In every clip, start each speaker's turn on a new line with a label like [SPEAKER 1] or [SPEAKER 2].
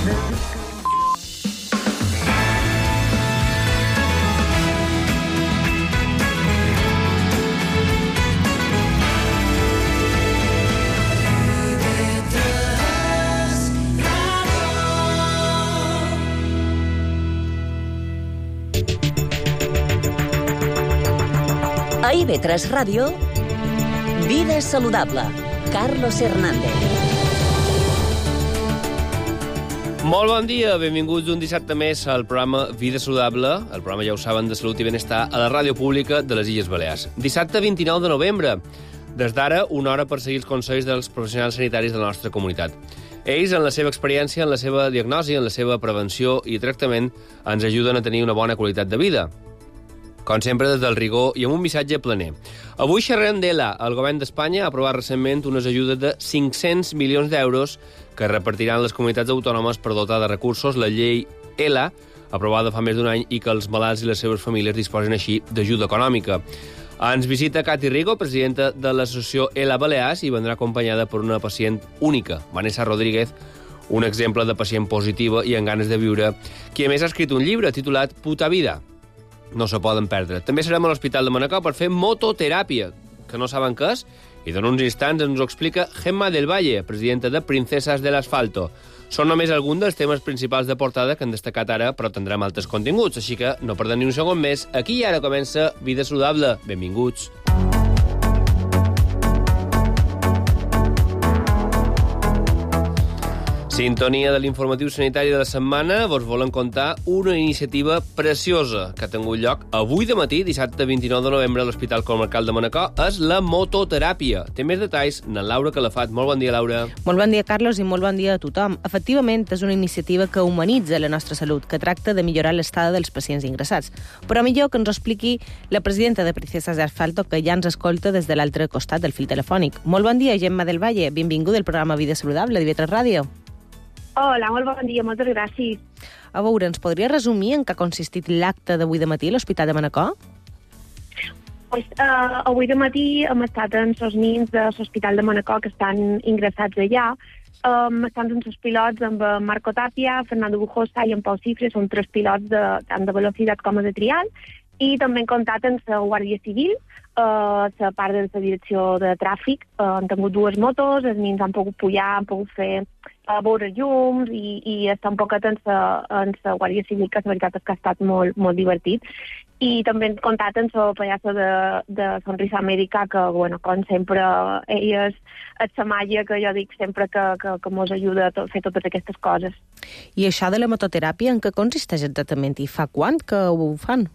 [SPEAKER 1] A IB3 Ràdio, Vida Saludable, Carlos Hernández.
[SPEAKER 2] Molt bon dia, benvinguts un dissabte més al programa Vida Saludable, el programa, ja ho saben, de salut i benestar a la ràdio pública de les Illes Balears. Dissabte 29 de novembre, des d'ara, una hora per seguir els consells dels professionals sanitaris de la nostra comunitat. Ells, en la seva experiència, en la seva diagnosi, en la seva prevenció i tractament, ens ajuden a tenir una bona qualitat de vida. Com sempre, des del rigor i amb un missatge planer. Avui xerrem d'ELA. El govern d'Espanya ha aprovat recentment unes ajudes de 500 milions d'euros que repartiran les comunitats autònomes per dotar de recursos la llei ELA, aprovada fa més d'un any, i que els malalts i les seves famílies disposen així d'ajuda econòmica. Ens visita Cati Rigo, presidenta de l'associació ELA Balears, i vendrà acompanyada per una pacient única, Vanessa Rodríguez, un exemple de pacient positiva i amb ganes de viure, qui a més ha escrit un llibre titulat Puta Vida. No se poden perdre. També serem a l'Hospital de Manacor per fer mototeràpia, que no saben què és, i en uns instants ens ho explica Gemma del Valle, presidenta de Princesas del Asfalto. Són només alguns dels temes principals de portada que han destacat ara, però tindrem altres continguts, així que no perdem ni un segon més. Aquí i ara comença Vida Saludable. Benvinguts. Sintonia de l'informatiu sanitari de la setmana, vos volen contar una iniciativa preciosa que ha tingut lloc avui de matí, dissabte 29 de novembre, a l'Hospital Comarcal de Manacor, és la mototeràpia. Té més detalls na Laura Calafat. Molt bon dia, Laura.
[SPEAKER 3] Molt bon dia, Carlos, i molt bon dia a tothom. Efectivament, és una iniciativa que humanitza la nostra salut, que tracta de millorar l'estada dels pacients ingressats. Però millor que ens ho expliqui la presidenta de Princesas de Asfalto, que ja ens escolta des de l'altre costat del fil telefònic. Molt bon dia, Gemma del Valle. Benvinguda al programa Vida Saludable de IB3 Ràdio.
[SPEAKER 4] Hola, molt bon dia, moltes gràcies.
[SPEAKER 3] A veure, ens podria resumir en què ha consistit l'acte d'avui de matí a l'Hospital de Manacor?
[SPEAKER 4] Avui de matí hem estat amb els nins de l'Hospital de Manacor que estan ingressats allà. Estan amb els pilots, amb Marco Tapia, Fernando Bujosa i en Pau Cifre, són 3 pilots tant de velocitat com de trial, i també hem comptat amb la Guàrdia Civil, la part de la direcció de tràfic. Han tingut 2 motos, els nins han pogut pujar, han pogut fer veure llums i estar un poquet en la Guàrdia Civil, que la veritat és que ha estat molt, molt divertit. I també hem comptat amb la pallassa de Sonrisa Amèrica, que, bueno, com sempre, ella és la màgia que jo dic sempre que mos ajuda a fer totes aquestes coses.
[SPEAKER 3] I això de la mototeràpia, en què consisteix exactament? I fa quant que ho fan?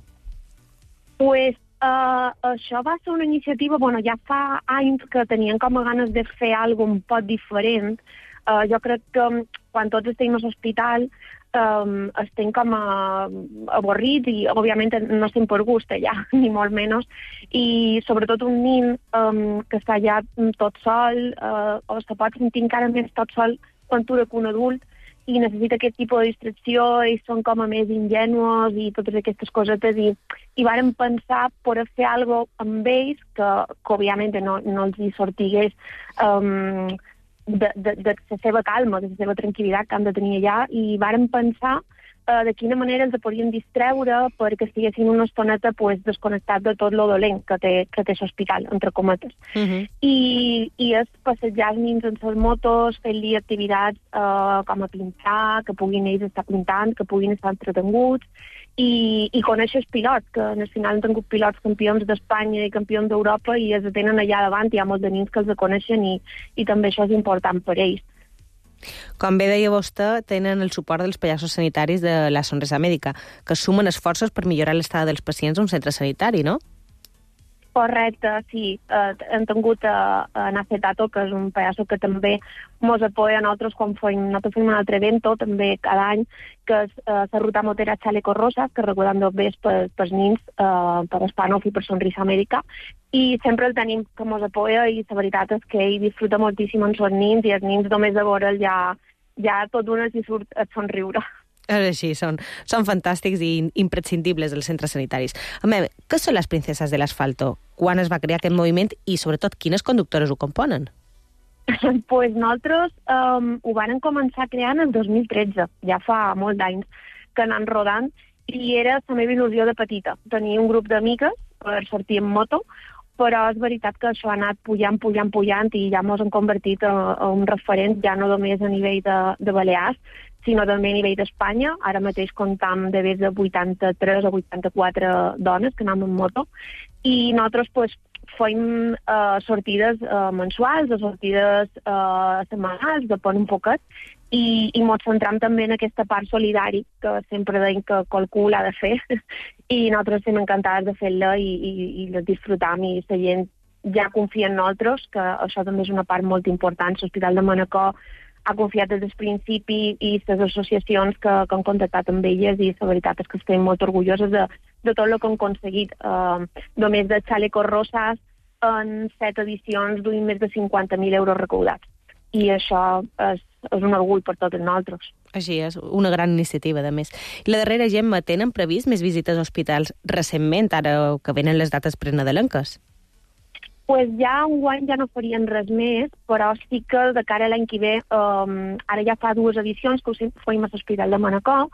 [SPEAKER 4] Pues, això va ser una iniciativa, bueno, ja fa anys que tenien com a ganes de fer alguna un poc diferent. Jo crec que quan tots estem a l'hospital estem com avorrits i, òbviament, no estem per gust allà, ni molt menys. I, sobretot, un nin que està allà tot sol, o se pot sentir encara més tot sol quan tu que un adult, i necessita aquest tipus de distracció, ells són com a més ingenuos i totes aquestes cosetes, i vàrem pensar per fer alguna cosa amb ells que òbviament no els hi sortigués de la seva calma, de la seva tranquil·litat que han de tenir allà, i vàrem pensar de quina manera els podien distreure perquè estiguessin una estoneta desconnectats de tot lo dolent que té l'hospital, entre cometes. I és passejar els nins en les motos, fent-li activitats com a pintar, que puguin ells estar pintant, que puguin estar entretenguts, i conèixer els pilots, que al final han tingut pilots campions d'Espanya i campions d'Europa i els tenen allà davant, hi ha molts de nins que els coneixen i també això és important per ells.
[SPEAKER 3] Com bé deia vostè, tenen el suport dels pallassos sanitaris de la Sonrisa Amèrica, que sumen esforços per millorar l'estada dels pacients a un centre sanitari, no?
[SPEAKER 4] Correcte, sí. Hem tingut en Acetato, que és un pallasso que també mos apoya a nosaltres quan nosaltres fem un altre evento, també cada any, que és la ruta motera Chaleco Rosa, que recordem bé pels nins, per Hispanov i per Sonrisa Amèrica, i sempre el tenim que mos apoya, i la veritat és que ell disfruta moltíssim amb els nins, i els nins només de veure'l ja tot d'una s'hi surt a somriure.
[SPEAKER 3] És així, són fantàstics i imprescindibles els centres sanitaris. A veure, què són les Princesas de l'Asfalto? Quan es va crear aquest moviment i, sobretot, quines conductores ho componen?
[SPEAKER 4] Pues nosaltres ho varen començar creant el 2013, ja fa molt d'anys que anant rodant, i era la meva il·lusió de petita. Tenia un grup d'amigues per sortir en moto, però és veritat que això ha anat pujant i ja mos hem convertit en un referent, ja no només a nivell de Balears, sinó també a nivell d'Espanya. Ara mateix comptam de més de 83 o 84 dones que anem en moto, i nosaltres pues, fem sortides mensuals, sortides setmanals, depèn un poquet, i ens centram també en aquesta part solidària que sempre deim que qualcú l'ha de fer, i nosaltres estem encantades de fer-la i la disfrutam, i la gent ja confia en nosaltres, que això també és una part molt important. L'Hospital de Manacor ha confiat des del principi, i les associacions que han contactat amb elles, i la veritat és que estem molt orgulloses de tot el que han aconseguit. Només de Chalecos Rosas, en 7 edicions, duim més de 50.000 euros recaudats. I això és un orgull per tots nosaltres.
[SPEAKER 3] Així és, una gran iniciativa, de més. I la darrera, Gemma, tenen previst més visites a hospitals recentment, ara que venen les dates prenadalenques?
[SPEAKER 4] Pues ja enguany ja no farien res més, però sí que de cara a l'any que ve, ara ja fa 2 edicions que ho fem a l'Hospital de Manacor,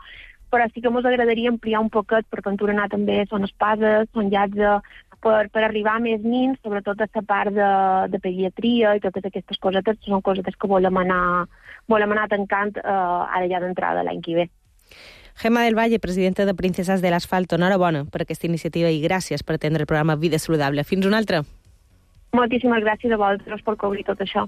[SPEAKER 4] però sí que ens agradaria ampliar un poquet, perquè en Turanà també són espases, són llats per arribar a més nins, sobretot a la part de pediatria i totes aquestes cosetes, són cosetes que volem anar tancant ara ja d'entrada l'any que ve.
[SPEAKER 3] Gemma del Valle, presidenta de Princesas del Asfalto, enhorabona per aquesta iniciativa i gràcies per atendre el programa Vida Saludable. Fins una altra.
[SPEAKER 4] Moltíssimes gràcies a vosaltres per cobrir tot això.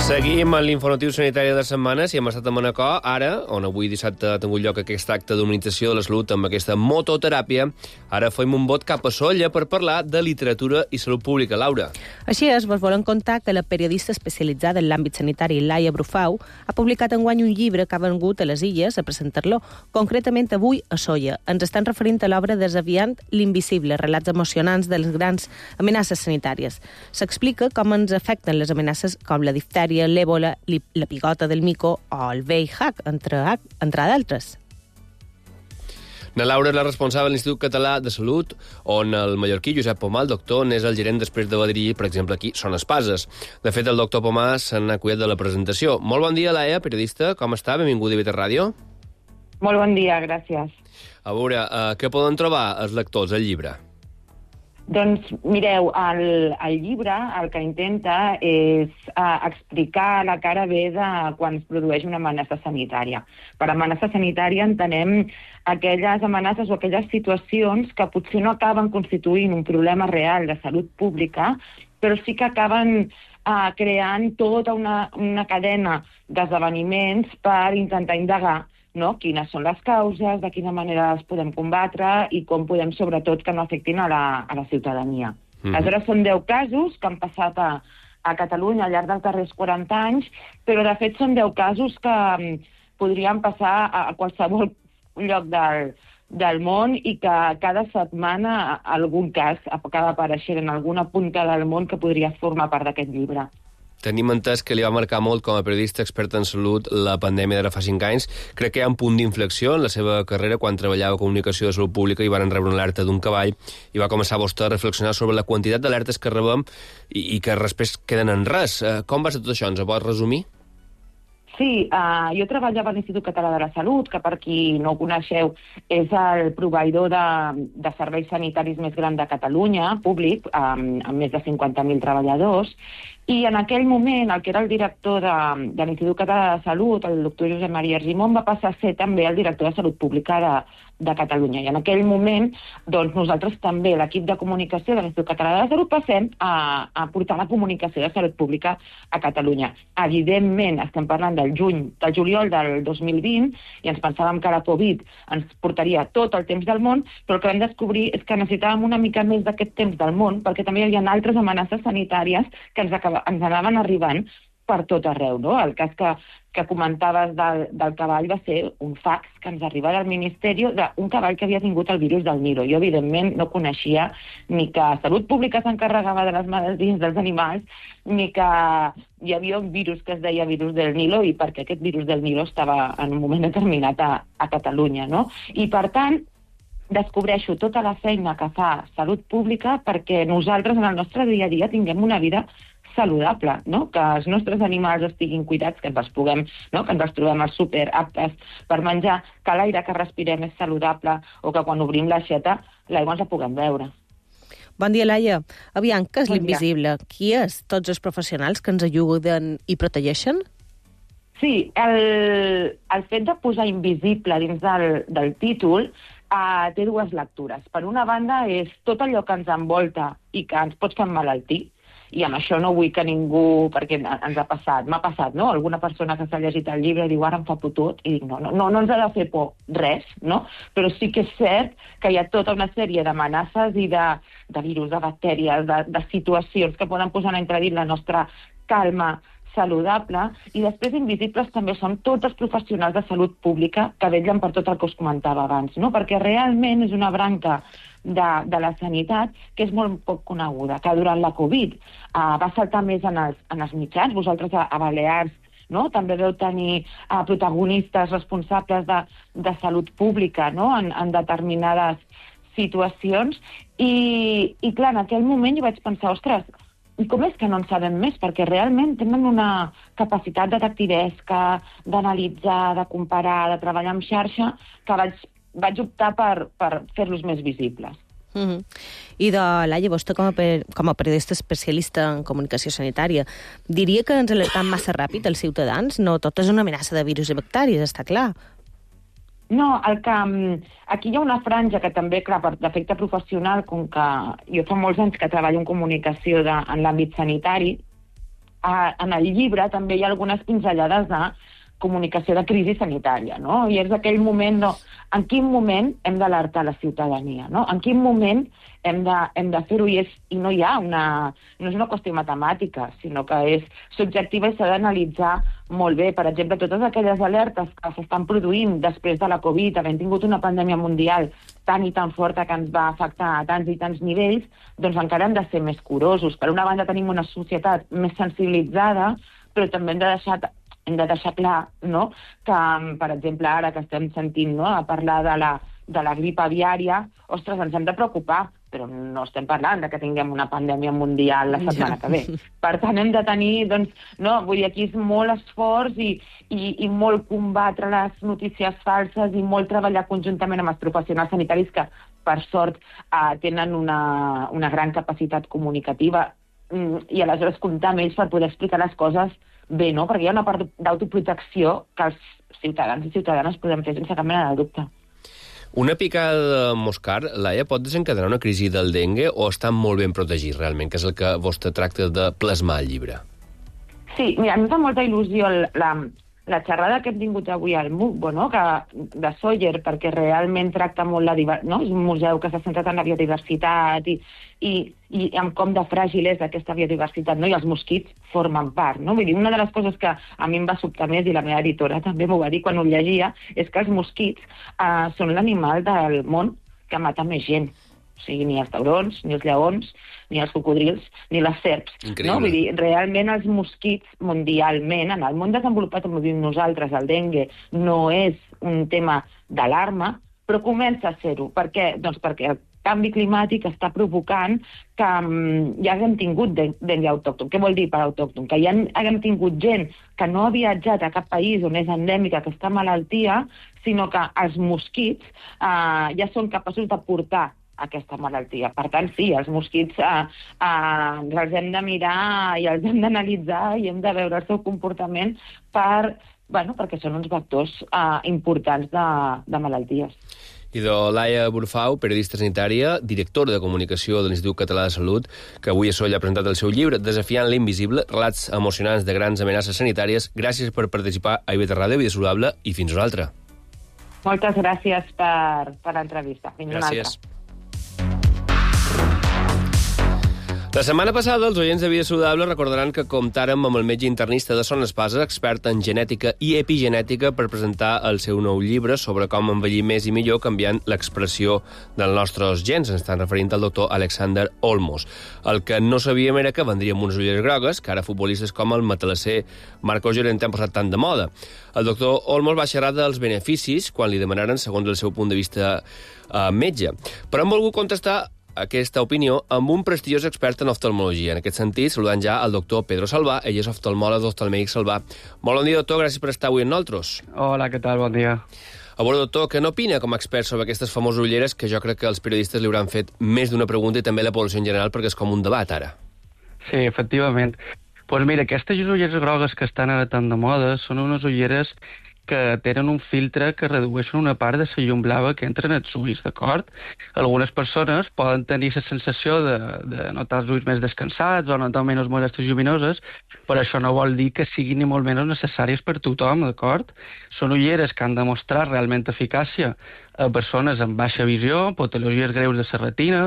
[SPEAKER 2] Seguim amb l'informatiu sanitari de la setmana. Si hem estat a Manacor, ara, on avui dissabte ha tingut lloc aquest acte d'humanització de la salut amb aquesta mototeràpia, ara fem un bot cap a Sóller per parlar de literatura i salut pública. Laura.
[SPEAKER 3] Així és, vos volem contar que la periodista especialitzada en l'àmbit sanitari, Laia Brufau, ha publicat enguany un llibre que ha vengut a les Illes a presentar-lo, concretament avui a Sóller. Ens estan referint a l'obra Desafiant l'invisible, relats emocionants de les grans amenaces sanitàries. S'explica com ens afecten les amenaces com la diftèria, l'èbola, la pigota del mico o el VIH, entre d'altres.
[SPEAKER 2] Na Laura és la responsable de l'Institut Català de Salut, on el mallorquí Josep Pomà, el doctor, n'és el gerent després de dirigir, per exemple, aquí Son Espases. De fet, el doctor Pomà se n'ha cuidat de la presentació. Molt bon dia, Laia, periodista. Com està? Benvinguda a Vita Ràdio.
[SPEAKER 5] Molt bon dia, gràcies.
[SPEAKER 2] A veure, què poden trobar els lectors al llibre?
[SPEAKER 5] Doncs mireu, el llibre el que intenta és explicar la cara B de quan es produeix una amenaça sanitària. Per amenaça sanitària entenem aquelles amenaces o aquelles situacions que potser no acaben constituint un problema real de salut pública, però sí que acaben creant tota una cadena d'esdeveniments per intentar indagar, no? Quines són les causes, de quina manera les podem combatre i com podem, sobretot, que no afectin a la ciutadania. Aleshores, són 10 casos que han passat a Catalunya al llarg dels darrers 40 anys, però, de fet, són 10 casos que podrien passar a qualsevol lloc del món i que cada setmana algun cas acaba apareixent en alguna punta del món que podria formar part d'aquest llibre.
[SPEAKER 2] Tenim entès que li va marcar molt com a periodista experta en salut la pandèmia d'ara fa 5 anys. Crec que hi ha un punt d'inflexió en la seva carrera quan treballava a Comunicació de Salut Pública i van rebre una alerta d'un cavall i va començar vostè a reflexionar sobre la quantitat d'alertes que rebem i que després queden en res. Com va ser tot això? Ens ho pots resumir?
[SPEAKER 5] Sí, jo treballava a l'Institut Català de la Salut, que per qui no ho coneixeu és el proveïdor de serveis sanitaris més gran de Catalunya, públic, amb més de 50.000 treballadors, i en aquell moment el que era el director de l'Institut Català de Salut, el doctor Josep Maria Argimon, va passar a ser també el director de Salut Pública de Catalunya. I en aquell moment, doncs, nosaltres també, l'equip de comunicació de l'Institut Català de la Salut, passem a portar la comunicació de salut pública a Catalunya. Evidentment, estem parlant del juliol del 2020, i ens pensàvem que la Covid ens portaria tot el temps del món, però el que vam descobrir és que necessitàvem una mica més d'aquest temps del món, perquè també hi havia altres amenaces sanitàries que ens anaven arribant per tot arreu, no? El cas que comentaves del cavall va ser un fax que ens arriba del Ministeri d'un cavall que havia tingut el virus del Nilo. Jo, evidentment, no coneixia ni que Salut Pública s'encarregava de les malalties dels animals, ni que hi havia un virus que es deia virus del Nilo i perquè aquest virus del Nilo estava en un moment determinat a Catalunya, no? I, per tant, descobreixo tota la feina que fa Salut Pública perquè nosaltres en el nostre dia a dia tinguem una vida saludable, no? Que els nostres animals estiguin cuidats, que ens els puguem, no? Que ens els trobem al súper aptes per menjar, que l'aire que respirem és saludable o que quan obrim l'aixeta l'aigua ens la puguem beure.
[SPEAKER 3] Bon dia, Laia. Aviam, què és
[SPEAKER 5] Bon dia.
[SPEAKER 3] l'invisible? Qui és? Tots els professionals que ens ajuden i protegeixen?
[SPEAKER 5] Sí, el fet de posar invisible dins del títol té dues lectures. Per una banda, és tot allò que ens envolta i que ens pot fer emmalaltir, i amb això no vull que ningú, perquè ens ha passat, m'ha passat, no? Alguna persona que s'ha llegit el llibre diu ara em fa putut, i dic no ens ha de fer por res, no? Però sí que és cert que hi ha tota una sèrie d'amenaces i de virus, de bactèries, de situacions que poden posar en entredit la nostra calma saludable, i després invisibles també són tots els professionals de salut pública que vetllen per tot el que us comentava abans, no? Perquè realment és una branca de la sanitat que és molt poc coneguda, que durant la Covid va saltar més en els mitjans. Vosaltres a Balears, no? També veu tenir protagonistes responsables de salut pública, no? En determinades situacions, i clar, en aquell moment jo vaig pensar, ostres, i com és que no en sabem més? Perquè realment tenen una capacitat detectivesca, d'analitzar, de comparar, de treballar en xarxa, que vaig optar per fer-los més visibles.
[SPEAKER 3] I de Laia, vostè com a periodista especialista en comunicació sanitària, diria que ens alertam massa ràpid els ciutadans? No tot és una amenaça de virus i bacteris, està clar.
[SPEAKER 5] No, aquí hi ha una franja que també, clar, per defecte professional, com que jo fa molts anys que treballo en comunicació en l'àmbit sanitari, en el llibre també hi ha algunes pinzellades de comunicació de crisi sanitària, no? I és aquell moment, en quin moment hem d'alertar la ciutadania, no? En quin moment hem de fer-ho, i no hi ha no és una qüestió matemàtica, sinó que és subjectiva i s'ha d'analitzar molt bé. Per exemple, totes aquelles alertes que s'estan produint després de la Covid, havent tingut una pandèmia mundial tan i tan forta que ens va afectar a tants i tants nivells, doncs encara hem de ser més curosos. Per una banda tenim una societat més sensibilitzada, però també hem de deixar clar, no?, que, per exemple, ara que estem sentint, no?, a parlar de la grip aviària, ostres, ens hem de preocupar, però no estem parlant de que tinguem una pandèmia mundial la setmana que ve. Per tant, hem de tenir, doncs, no, vull dir, aquí és molt esforç i molt combatre les notícies falses i molt treballar conjuntament amb els professionals sanitaris que, per sort, tenen una gran capacitat comunicativa, i aleshores comptar amb ells per poder explicar les coses bé, no? Perquè hi ha una part d'autoprotecció que els ciutadans i ciutadanes podem fer sense cap mena de dubte.
[SPEAKER 2] Una picada de moscar, Laia, pot desencadenar una crisi del dengue o estan molt ben protegits realment, que és el que vostè tracta de plasmar al llibre?
[SPEAKER 5] Sí, mira, a mi em fa molta il·lusió la xerrada que hem tingut avui al MUCBO, no?, de Sóller, perquè realment tracta molt no? És un museu que s'ha centrat en la biodiversitat i en com de fràgil és aquesta biodiversitat, no? I els mosquits formen part, no? Vull dir, una de les coses que a mi em va sobtar més, i la meva editora també m'ho va dir quan ho llegia, és que els mosquits són l'animal del món que mata més gent. O sigui, ni els taurons, ni els lleons, ni els cocodrils, ni les serps.
[SPEAKER 2] Increïble.
[SPEAKER 5] No? Vull dir, realment els mosquits mundialment, en el món desenvolupat on vivim nosaltres, el dengue no és un tema d'alarma, però comença a ser-ho. Per què? Doncs perquè el canvi climàtic està provocant que ja haguem tingut dengue autòcton. Què vol dir per autòcton? Que ja haguem tingut gent que no ha viatjat a cap país on és endèmica aquesta malaltia, sinó que els mosquits ja són capaços de portar aquesta malaltia. Per tant, sí, els mosquits els hem de mirar i els hem d'analitzar i hem de veure el seu comportament perquè són uns vectors importants de malalties.
[SPEAKER 2] I de Laia Burfau, periodista sanitària, directora de comunicació de l'Institut Català de Salut, que avui a Solla ha presentat el seu llibre Desafiant l'invisible, relats emocionants de grans amenaces sanitàries. Gràcies per participar a IB3 Ràdio, Vida Saludable, i fins una altra.
[SPEAKER 5] Moltes gràcies per l'entrevista. Fins una altra.
[SPEAKER 2] La setmana passada, els oients de Vida Saludable recordaran que comptàrem amb el metge internista de Son Espasa, expert en genètica i epigenètica, per presentar el seu nou llibre sobre com envellir més i millor canviant l'expressió dels nostres gens. Ens estan referint al doctor Alexander Olmos. El que no sabíem era que vendria amb unes ulleres grogues, que ara futbolistes com el matalasser Marcos Llorente han posat tant de moda. El doctor Olmos va xerrar dels beneficis quan li demanaren, segons el seu punt de vista, metge. Però hem volgut contestar aquesta opinió amb un prestigiós expert en oftalmologia. En aquest sentit, saludant ja el doctor Pedro Salvà. Ell és oftalmòleg d'Oftalmèdic Salvà. Molt bon dia, doctor. Gràcies per estar avui amb nosaltres.
[SPEAKER 6] Hola, què tal? Bon dia.
[SPEAKER 2] A veure, doctor, què n'opina com a expert sobre aquestes famoses ulleres que jo crec que els periodistes li hauran fet més d'una pregunta i també la població en general, perquè és com un debat, ara?
[SPEAKER 6] Sí, efectivament. Doncs mira, aquestes ulleres grogues que estan ara tan de moda són unes ulleres que tenen un filtre que redueixen una part de la llum blava que entra en els ulls, d'acord? Algunes persones poden tenir la sensació de notar els ulls més descansats o notar menys molèsties lluminoses, però això no vol dir que siguin ni molt menys necessàries per tothom, d'acord? Són ulleres que han demostrat realment eficàcia a persones amb baixa visió, patologies greus de la retina,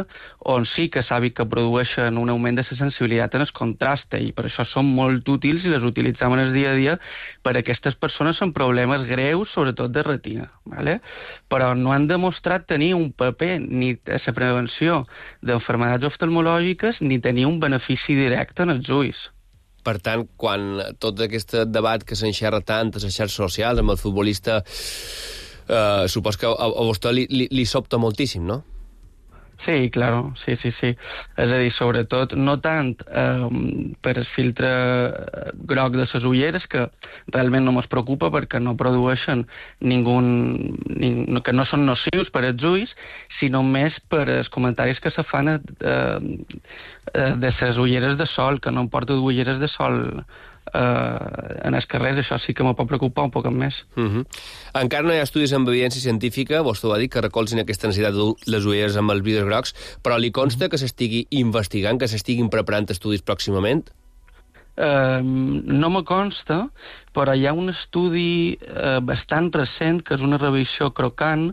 [SPEAKER 6] on sí que s'ha vist que produeixen un augment de la sensibilitat en el contraste, i per això són molt útils i les utilitzem en el dia a dia per a aquestes persones amb problemes greus, sobretot de retina, ¿vale? Però no han demostrat tenir un paper ni a la prevenció d'enfermedats oftalmològiques ni tenir un benefici directe en els ulls.
[SPEAKER 2] Per tant, quan tot aquest debat que s'enxerra tant a les xarxes socials amb el futbolista, supos que a vostè li sobta moltíssim, no?
[SPEAKER 6] Sí, claro, sí. És a dir, sobretot, no tant per el filtre groc de les ulleres, que realment no mos preocupa perquè no produeixen que no són nocius per als ulls, sinó més per els comentaris que se fan de les ulleres de sol, que no em porto ulleres de sol en els carrers. Això sí que me pot preocupar un poc més.
[SPEAKER 2] Encara no hi ha estudis amb evidència científica, vostè va dir, que recolzin aquesta necessitat de les ulleres amb els vidres grocs, però li consta que s'estigui investigant, que s'estiguin preparant estudis pròximament?
[SPEAKER 6] No me consta, però hi ha un estudi bastant recent, que és una revisió Crocant,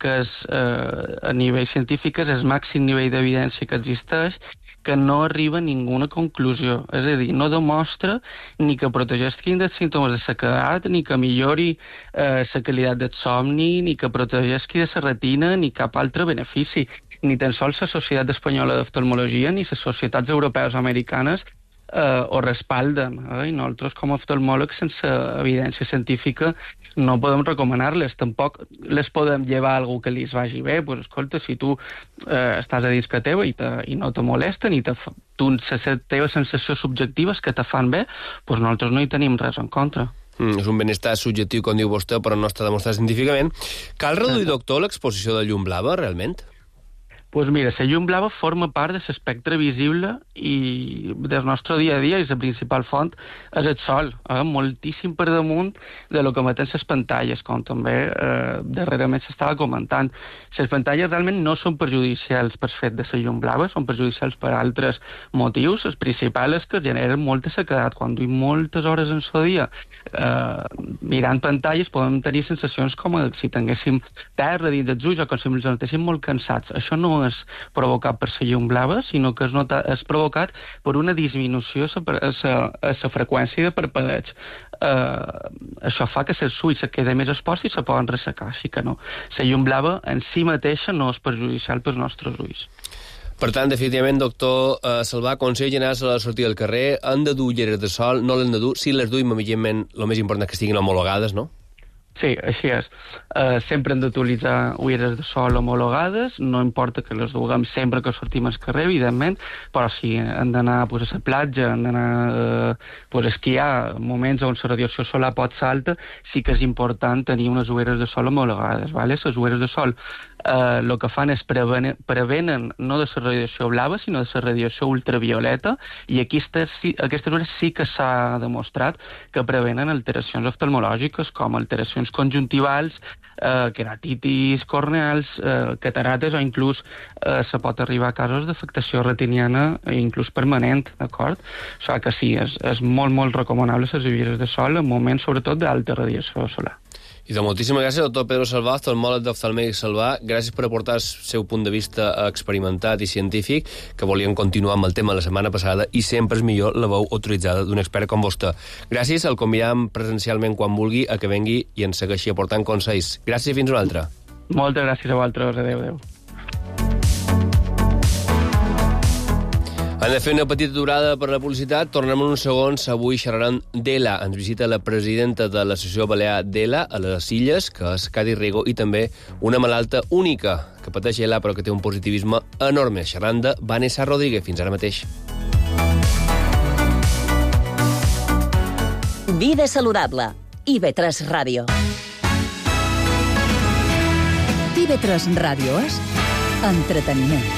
[SPEAKER 6] que és, a nivell científic és el màxim nivell d'evidència que existeix, que no arriba a ninguna conclusió. És a dir, no demostra ni que protegeixin dels símptomes de sequedat, ni que millori la qualitat del somni, ni que protegeixi de la retina, ni cap altre benefici. Ni tan sols la Societat Espanyola d'Oftalmologia ni les societats europees o americanes ho respalden. I nosaltres, com a oftalmòlegs, sense evidència científica, no podem recomanar-les. Tampoc les podem llevar a algú que li vagi bé. Pues, escolta, si tu estàs a dins que teva i no te molesten, i les teves sensacions subjectives que te fan bé, pues nosaltres no hi tenim res en contra.
[SPEAKER 2] És un benestar subjectiu, com diu vostè, però no està demostrat científicament. Cal reduir, doctor, l'exposició de llum blava, realment?
[SPEAKER 6] Doncs mira, la llum blava forma part de l'espectre visible i del nostre dia a dia, i la principal font és el sol, moltíssim per damunt de lo que emeten les pantalles, com també darrerament s'estava comentant. Les pantalles realment no són perjudicials per fet de la llum blava, són perjudicials per altres motius. El principal és que generen molta sequedat. Quan duim moltes hores en el dia mirant pantalles, podem tenir sensacions com si tinguéssim terra dins dels ulls o com si ens notéssim molt cansats. Això no és provocat per la llum blava, sinó que és provocat per una disminució a la freqüència de parpadeig. Això fa que els ulls se queden més exposats i se poden ressecar, així que no. La llum blava en si mateixa no és perjudicial pels nostres ulls.
[SPEAKER 2] Per tant, definitivament, doctor Salvà, consell general a la sortida del carrer, han de dur ulleres de sol, no l'han de dur, si les duim, evidentment, el més important és que estiguin homologades, no?
[SPEAKER 6] Sí, així és. Sempre hem d'utilitzar ulleres de sol homologades, no importa que les duguem sempre que sortim al carrer, evidentment, però si hem d'anar a la platja, hem d'anar a esquiar, moments on la radiació solar pot ser alta, sí que és important tenir unes ulleres de sol homologades. ¿Vale? Les ulleres de sol el que fan és prevenen no de la radiació blava, sinó de la radiació ultravioleta, i aquestes ulleres sí que s'ha demostrat que prevenen alteracions oftalmològiques, com alteracions conjuntivals, queratitis corneals, catarates, o inclús se pot arribar a casos d'afectació retiniana, inclús permanent, d'acord? O sigui que sí, és molt, molt recomanable les ulleres de sol en moments, sobretot, d'alta radiació solar.
[SPEAKER 2] I de moltíssimes gràcies, doctor Pedro Salvà, oftalmòleg d'Oftalmèdic Salvà. Gràcies per aportar el seu punt de vista experimentat i científic, que volíem continuar amb el tema la setmana passada, i sempre és millor la veu autoritzada d'un expert com vostè. Gràcies, el convidam presencialment quan vulgui a que vengui i ens segueixi aportant consells. Gràcies i fins una altra.
[SPEAKER 6] Moltes gràcies a vosaltres. Adéu.
[SPEAKER 2] Han de fer una petita aturada per la publicitat. Tornem en uns segons. Avui xerraran d'ELA. Ens visita la presidenta de l'Associació Balear d'ELA a les Illes, que és Cati Rigo, i també una malalta única que pateix ELA però que té un positivisme enorme. Xerrant de Vanessa Rodríguez. Fins ara mateix.
[SPEAKER 1] Vida saludable. IB3 Ràdio. IB3 Ràdio és entreteniment.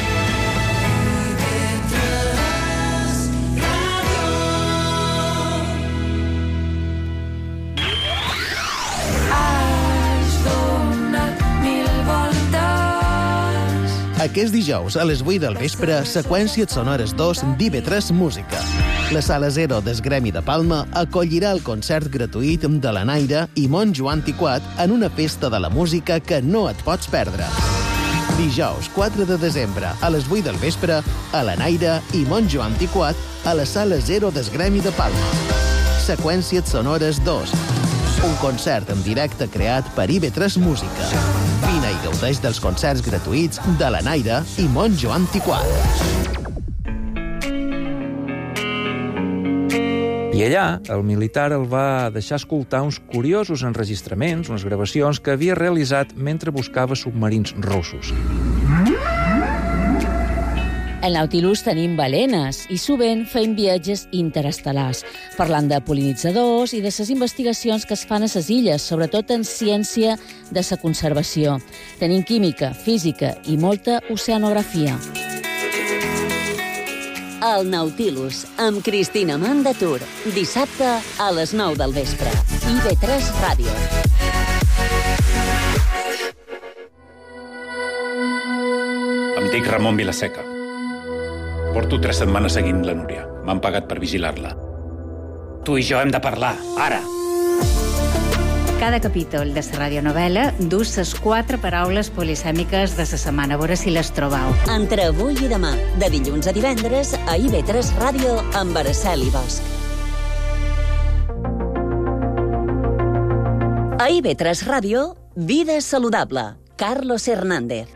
[SPEAKER 7] Aquest dijous, a les 8 del vespre, Seqüències Sonores 2 d'IB3 Música. La Sala 0 del Gremi de Palma acollirà el concert gratuït de la Naira i Montjo Antiquat en una festa de la música que no et pots perdre. Dijous, 4 de desembre, a les 8 del vespre, a la Naira i Montjo Antiquat a la Sala 0 del Gremi de Palma. Seqüències Sonores 2. Un concert en directe creat per IB3 Música. Vine i gaudeix dels concerts gratuïts de la Naira i Montjo Antiquat.
[SPEAKER 8] I allà, el militar el va deixar escoltar uns curiosos enregistraments, unes gravacions que havia realitzat mentre buscava submarins russos.
[SPEAKER 9] Al Nautilus tenim balenes i sovint fem viatges interestel·lars, parlant de pol·linitzadors i de les investigacions que es fan a les illes, sobretot en ciència de la conservació. Tenim química, física i molta oceanografia.
[SPEAKER 1] El Nautilus, amb Cristina Mandatur. Dissabte a les 9 del vespre. IB3 Ràdio.
[SPEAKER 10] Em dic Ramon Vilaseca. Porto 3 setmanes seguint la Núria. M'han pagat per vigilar-la. Tu i jo hem de parlar, ara.
[SPEAKER 11] Cada capítol de la radionovel·la du les 4 paraules polisèmiques de la setmana. A veure si les trobau.
[SPEAKER 1] Entre avui i demà, de dilluns a divendres, a IB3 Ràdio amb Araceli Bosch. A IB3 Ràdio, Vida saludable. Carlos Hernández.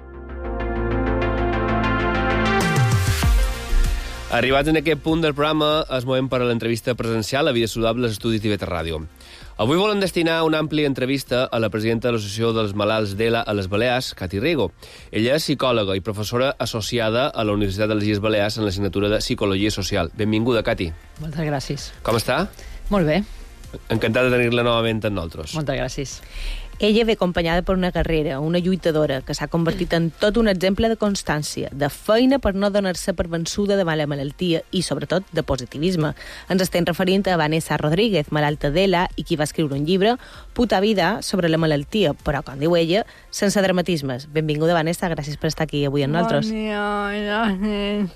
[SPEAKER 2] Arribats en aquest punt del programa, es movem per a l'entrevista presencial a Vida Saludable als estudis d'IB3 Ràdio. Avui volen destinar una àmplia entrevista a la presidenta de l'Associació dels Malalts d'ELA a les Balears, Cati Rigo. Ella és psicòloga i professora associada a la Universitat de les Illes Balears en l'assignatura de Psicologia Social. Benvinguda, Cati.
[SPEAKER 12] Moltes gràcies.
[SPEAKER 2] Com està?
[SPEAKER 12] Molt bé.
[SPEAKER 2] Encantat de tenir-la novament amb nosaltres.
[SPEAKER 12] Moltes gràcies.
[SPEAKER 3] Ella ve acompanyada per una guerrera, una lluitadora, que s'ha convertit en tot un exemple de constància, de feina per no donar-se per vençuda davant la malaltia i, sobretot, de positivisme. Ens estem referint a Vanessa Rodríguez, malalta d'ELA, i qui va escriure un llibre, Puta vida, sobre la malaltia, però, com diu ella, sense dramatismes. Benvinguda, Vanessa, gràcies per estar aquí avui amb nosaltres.
[SPEAKER 12] Bon dia, gràcies.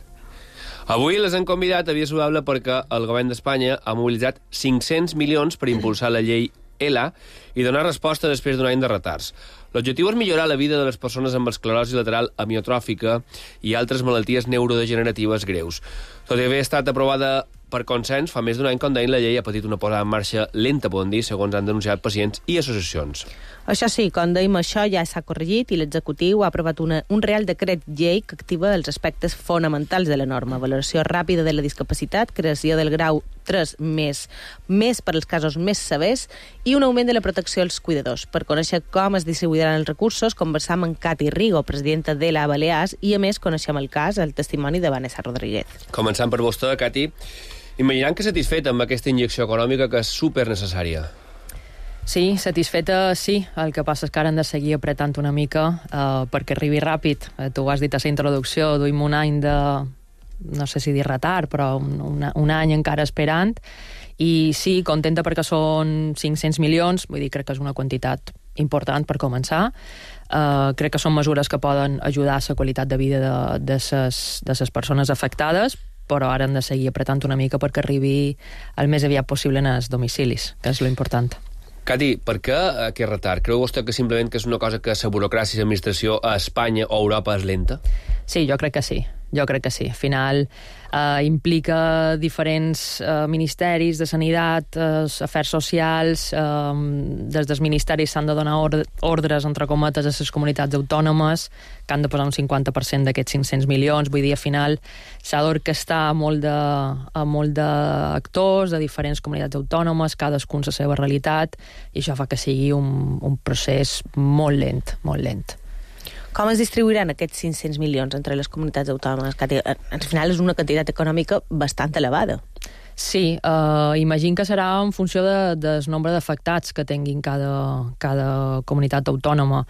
[SPEAKER 2] Avui les han convidat a Vida Saludable perquè el govern d'Espanya ha mobilitzat 500 milions per impulsar la llei ELA i donar resposta després d'un any de retards. L'objectiu és millorar la vida de les persones amb esclerosi lateral amiotròfica i altres malalties neurodegeneratives greus. Tot i haver estat aprovada per consens, fa més d'un any, com deien, la llei ha patit una posada en marxa lenta, podem dir, segons han denunciat pacients i associacions.
[SPEAKER 3] Això sí, com dèiem, això ja s'ha corregit i l'executiu ha aprovat un Real Decret Llei que activa els aspectes fonamentals de la norma: valoració ràpida de la discapacitat, creació del grau 3 més per als casos més severs i un augment de la protecció als cuidadors. Per conèixer com es distribuiran els recursos, conversam amb Cati Rigo, presidenta d'ELA Balears, i a més coneixem el cas, el testimoni de Vanessa Rodríguez.
[SPEAKER 2] Començant per vostè, Cati, imaginant que satisfeta amb aquesta injecció econòmica que és supernecessària.
[SPEAKER 12] Sí, satisfeta sí. El que passa és que ara hem de seguir apretant una mica perquè arribi ràpid. Tu ho has dit a la introducció, duim un any de, no sé si dir retard, però un any encara esperant. I sí, contenta perquè són 500 milions, vull dir, crec que és una quantitat important per començar. Crec que són mesures que poden ajudar a la qualitat de vida de les persones afectades, però ara hem de seguir apretant una mica perquè arribi el més aviat possible en els domicilis, que és l'important.
[SPEAKER 2] Cati, per què aquest retard? Creu vostè que simplement que és una cosa que la burocràcia i l'administració a Espanya o a Europa és lenta?
[SPEAKER 12] Sí, jo crec que sí. Al final implica diferents ministeris de sanitat, afers socials, des dels ministeris s'han de donar ordres, entre cometes, a les comunitats autònomes, que han de posar un 50% d'aquests 500 milions, vull dir, al final s'ha d'orquestar a molt d'actors de diferents comunitats autònomes, cadascun la seva realitat, i això fa que sigui un procés molt lent, molt lent.
[SPEAKER 3] Com es distribuiran aquests 500 milions entre les comunitats autònomes? Que al final és una quantitat econòmica bastant elevada.
[SPEAKER 12] Sí, imagino que serà en funció del nombre d'afectats que tinguin cada comunitat autònoma.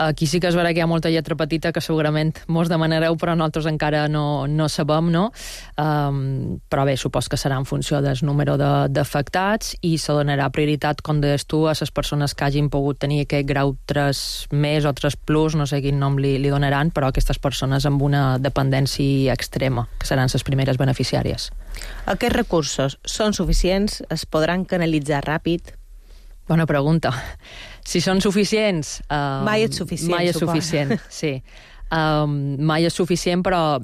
[SPEAKER 12] Aquí sí que es veurà que hi ha molta lletra petita que segurament mos demanareu, però nosaltres encara no sabem, no? Però bé, supos que serà en funció del número d'afectats i se donarà prioritat, com deies tu, a les persones que hagin pogut tenir aquest grau 3+ o 3+, no sé quin nom li donaran, però aquestes persones amb una dependència extrema, que seran les primeres beneficiàries.
[SPEAKER 3] Aquests recursos són suficients? Es podran canalitzar ràpid?
[SPEAKER 12] Bona pregunta. Si són suficients...
[SPEAKER 3] Mai és suficient,
[SPEAKER 12] mai és suficient, sí. Mai és suficient, però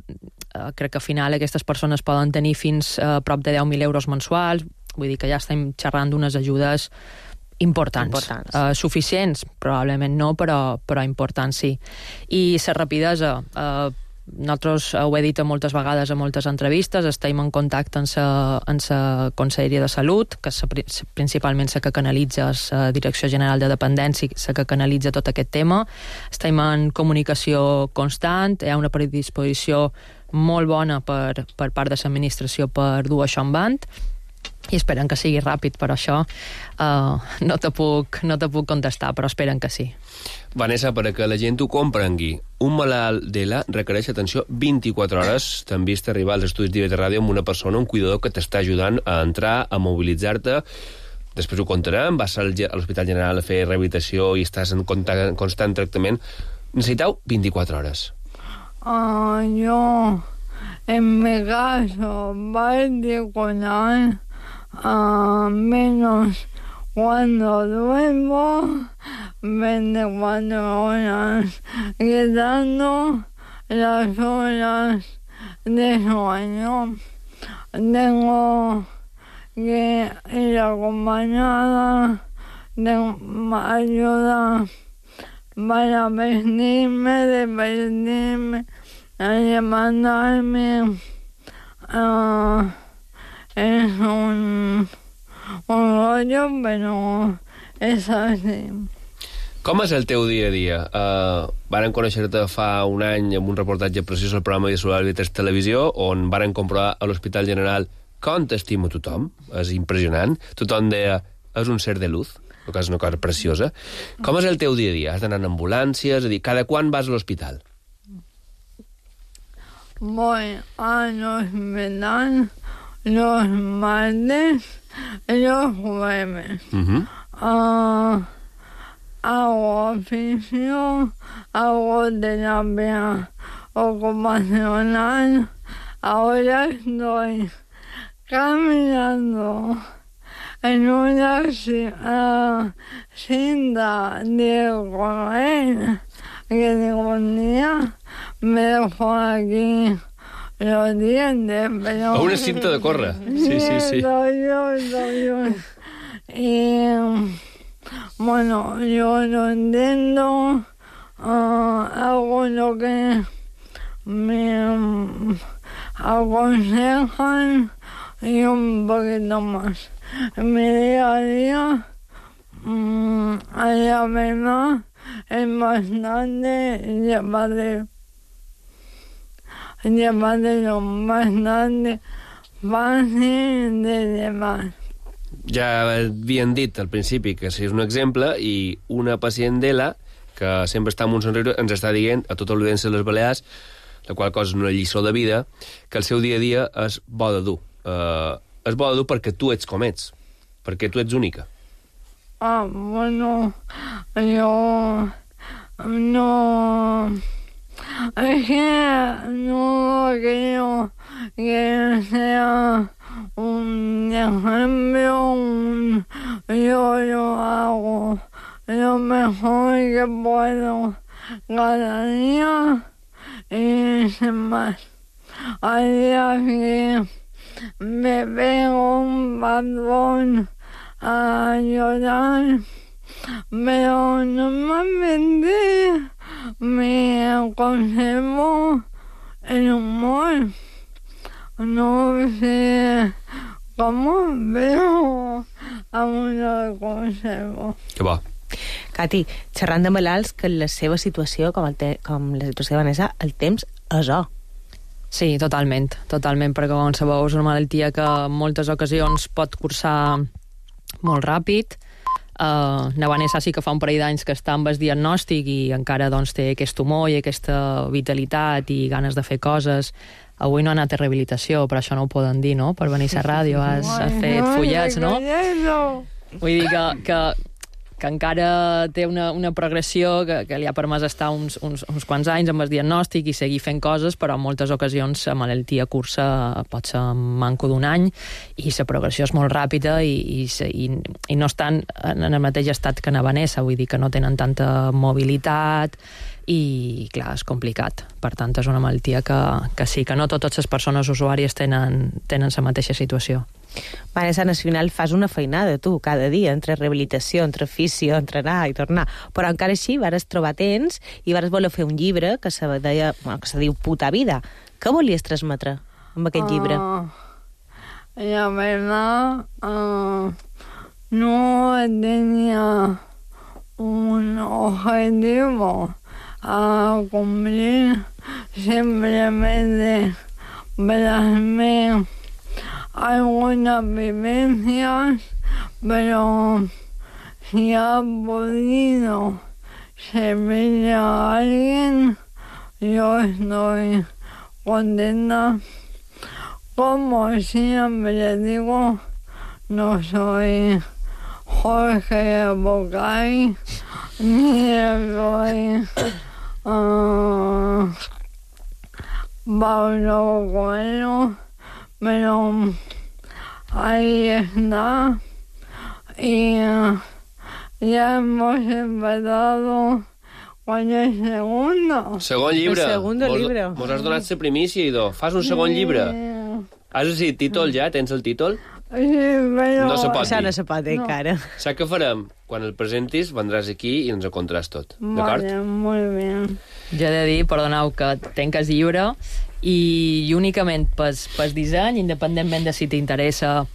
[SPEAKER 12] crec que al final aquestes persones poden tenir fins a prop de 10.000 euros mensuals, vull dir que ja estem xerrant d'unes ajudes importants. Suficients, probablement no, però importants sí. I la rapidesa... Nosaltres ho he dit moltes vegades a moltes entrevistes, estem en contacte amb la Conselleria de Salut, que és principalment la que canalitza la Direcció General de Dependència, la que canalitza tot aquest tema. Estem en comunicació constant, hi ha una predisposició molt bona per part de l'administració per dur això en band, i esperen que sigui ràpid, però això no te puc contestar, però esperen que sí.
[SPEAKER 2] Vanessa, perquè la gent ho comprengui, un malalt d'ELA requereix atenció 24 hores. T'han vist arribar als estudis d'IVT Ràdio amb una persona, un cuidador que t'està ajudant a entrar, a mobilitzar-te. Després ho contarem, vas a l'Hospital General a fer rehabilitació i estàs en constant tractament. Necessiteu 24 hores.
[SPEAKER 13] Yo, en mi caso, 24 horas, menos cuando duermo, 24 horas, quitando las horas de sueño. Tengo que ir acompañada de ayuda para vestirme, desvestirme, levantarme. Es un rollo, però és així.
[SPEAKER 2] Com és el teu dia a dia? Varen conèixer-te fa un any amb un reportatge precís al programa de Solar Vitres Televisió, on varen comprovar a l'Hospital General com t'estima tothom. És impressionant. Tothom deia, és un ser de luz, que és una cosa preciosa. Com és el teu dia a dia? Has d'anar en ambulàncies? És a dir, cada quan vas a l'hospital?
[SPEAKER 13] Voy al hospital los martes y los jueves. Hago oficio, hago terapia ocupacional. Ahora estoy caminando en una cinta de correr que tengo un día me dejo aquí los dientes, pero...
[SPEAKER 2] A una cinta de córrer. Sí.
[SPEAKER 13] Y, bueno, yo lo entiendo, hago lo que me aconsejan y un poquito más. En mi día a día, la verdad, es bastante llevadero. Bastante fàcil de llevar.
[SPEAKER 2] Ja havien dit al principi que si és un exemple i una pacient d'ELA que sempre està amb un somriure ens està dient a tota l'audiència de les Balears, la qual cosa és una lliçó de vida, que el seu dia a dia és bo de dur. És bo de dur perquè tu ets com ets, perquè tu ets única.
[SPEAKER 13] Bueno, yo no... Es que no creo que sea un ejemplo, yo lo hago lo mejor que puedo cada día y sin más. Hay días que me pego un patrón a llorar, pero normalmente me conservo el humor. No sé cómo, pero aún lo conservo.
[SPEAKER 2] Que bo.
[SPEAKER 3] Cati, xerrant de malalts, que la seva situació, com la situació de Vanessa, el temps és or.
[SPEAKER 12] Sí, totalment, perquè com sabeu és una malaltia que en moltes ocasions pot cursar molt ràpid. Na Vanessa sí que fa un parell d'anys que està amb el diagnòstic i encara doncs, té aquest humor i aquesta vitalitat i ganes de fer coses. Avui no ha anat a rehabilitació, però això no ho poden dir, no? Per venir a ràdio has fet fullets, no? Vull dir que encara té una progressió que li ha permès estar uns quants anys amb el diagnòstic i seguir fent coses, però en moltes ocasions la malaltia cursa pot ser manco d'un any i la progressió és molt ràpida i no estan en el mateix estat que na Vanessa, vull dir que no tenen tanta mobilitat i, clar, és complicat. Per tant, és una malaltia que sí, que no totes les persones usuàries tenen la mateixa situació.
[SPEAKER 3] Vanessa, al final fas una feinada, tu, cada dia, entre rehabilitació, entre fisio, entrenar i tornar. Però encara així vares trobar temps i vares voler fer un llibre que se diu Puta vida. Què volies transmetre amb aquest llibre?
[SPEAKER 13] La verdad, no tenía un objetivo a cumplir, simplemente plasmé algunas vivencias, pero si ha podido servirle a alguien, yo estoy contenta. Como siempre digo, no soy Jorge Bocay, ni soy Pablo Coelho, pero ahí está y ya hemos empezado con el segundo.
[SPEAKER 2] Segon llibre.
[SPEAKER 3] El segundo llibre.
[SPEAKER 2] Mos has donat la primícia, idò. Fas un segon llibre. Has decidit títol ja? Tens el títol?
[SPEAKER 13] Sí, però...
[SPEAKER 2] No se pot
[SPEAKER 3] Això
[SPEAKER 2] dir.
[SPEAKER 3] no se pot dir, encara.
[SPEAKER 2] Saps què farem? Quan el presentis, vendràs aquí i ens ho contaràs tot. D'acord?
[SPEAKER 13] Vale, molt bé.
[SPEAKER 12] Jo he de dir, perdoneu, que tenc el llibre i únicament pel disseny, independentment de si t'interessa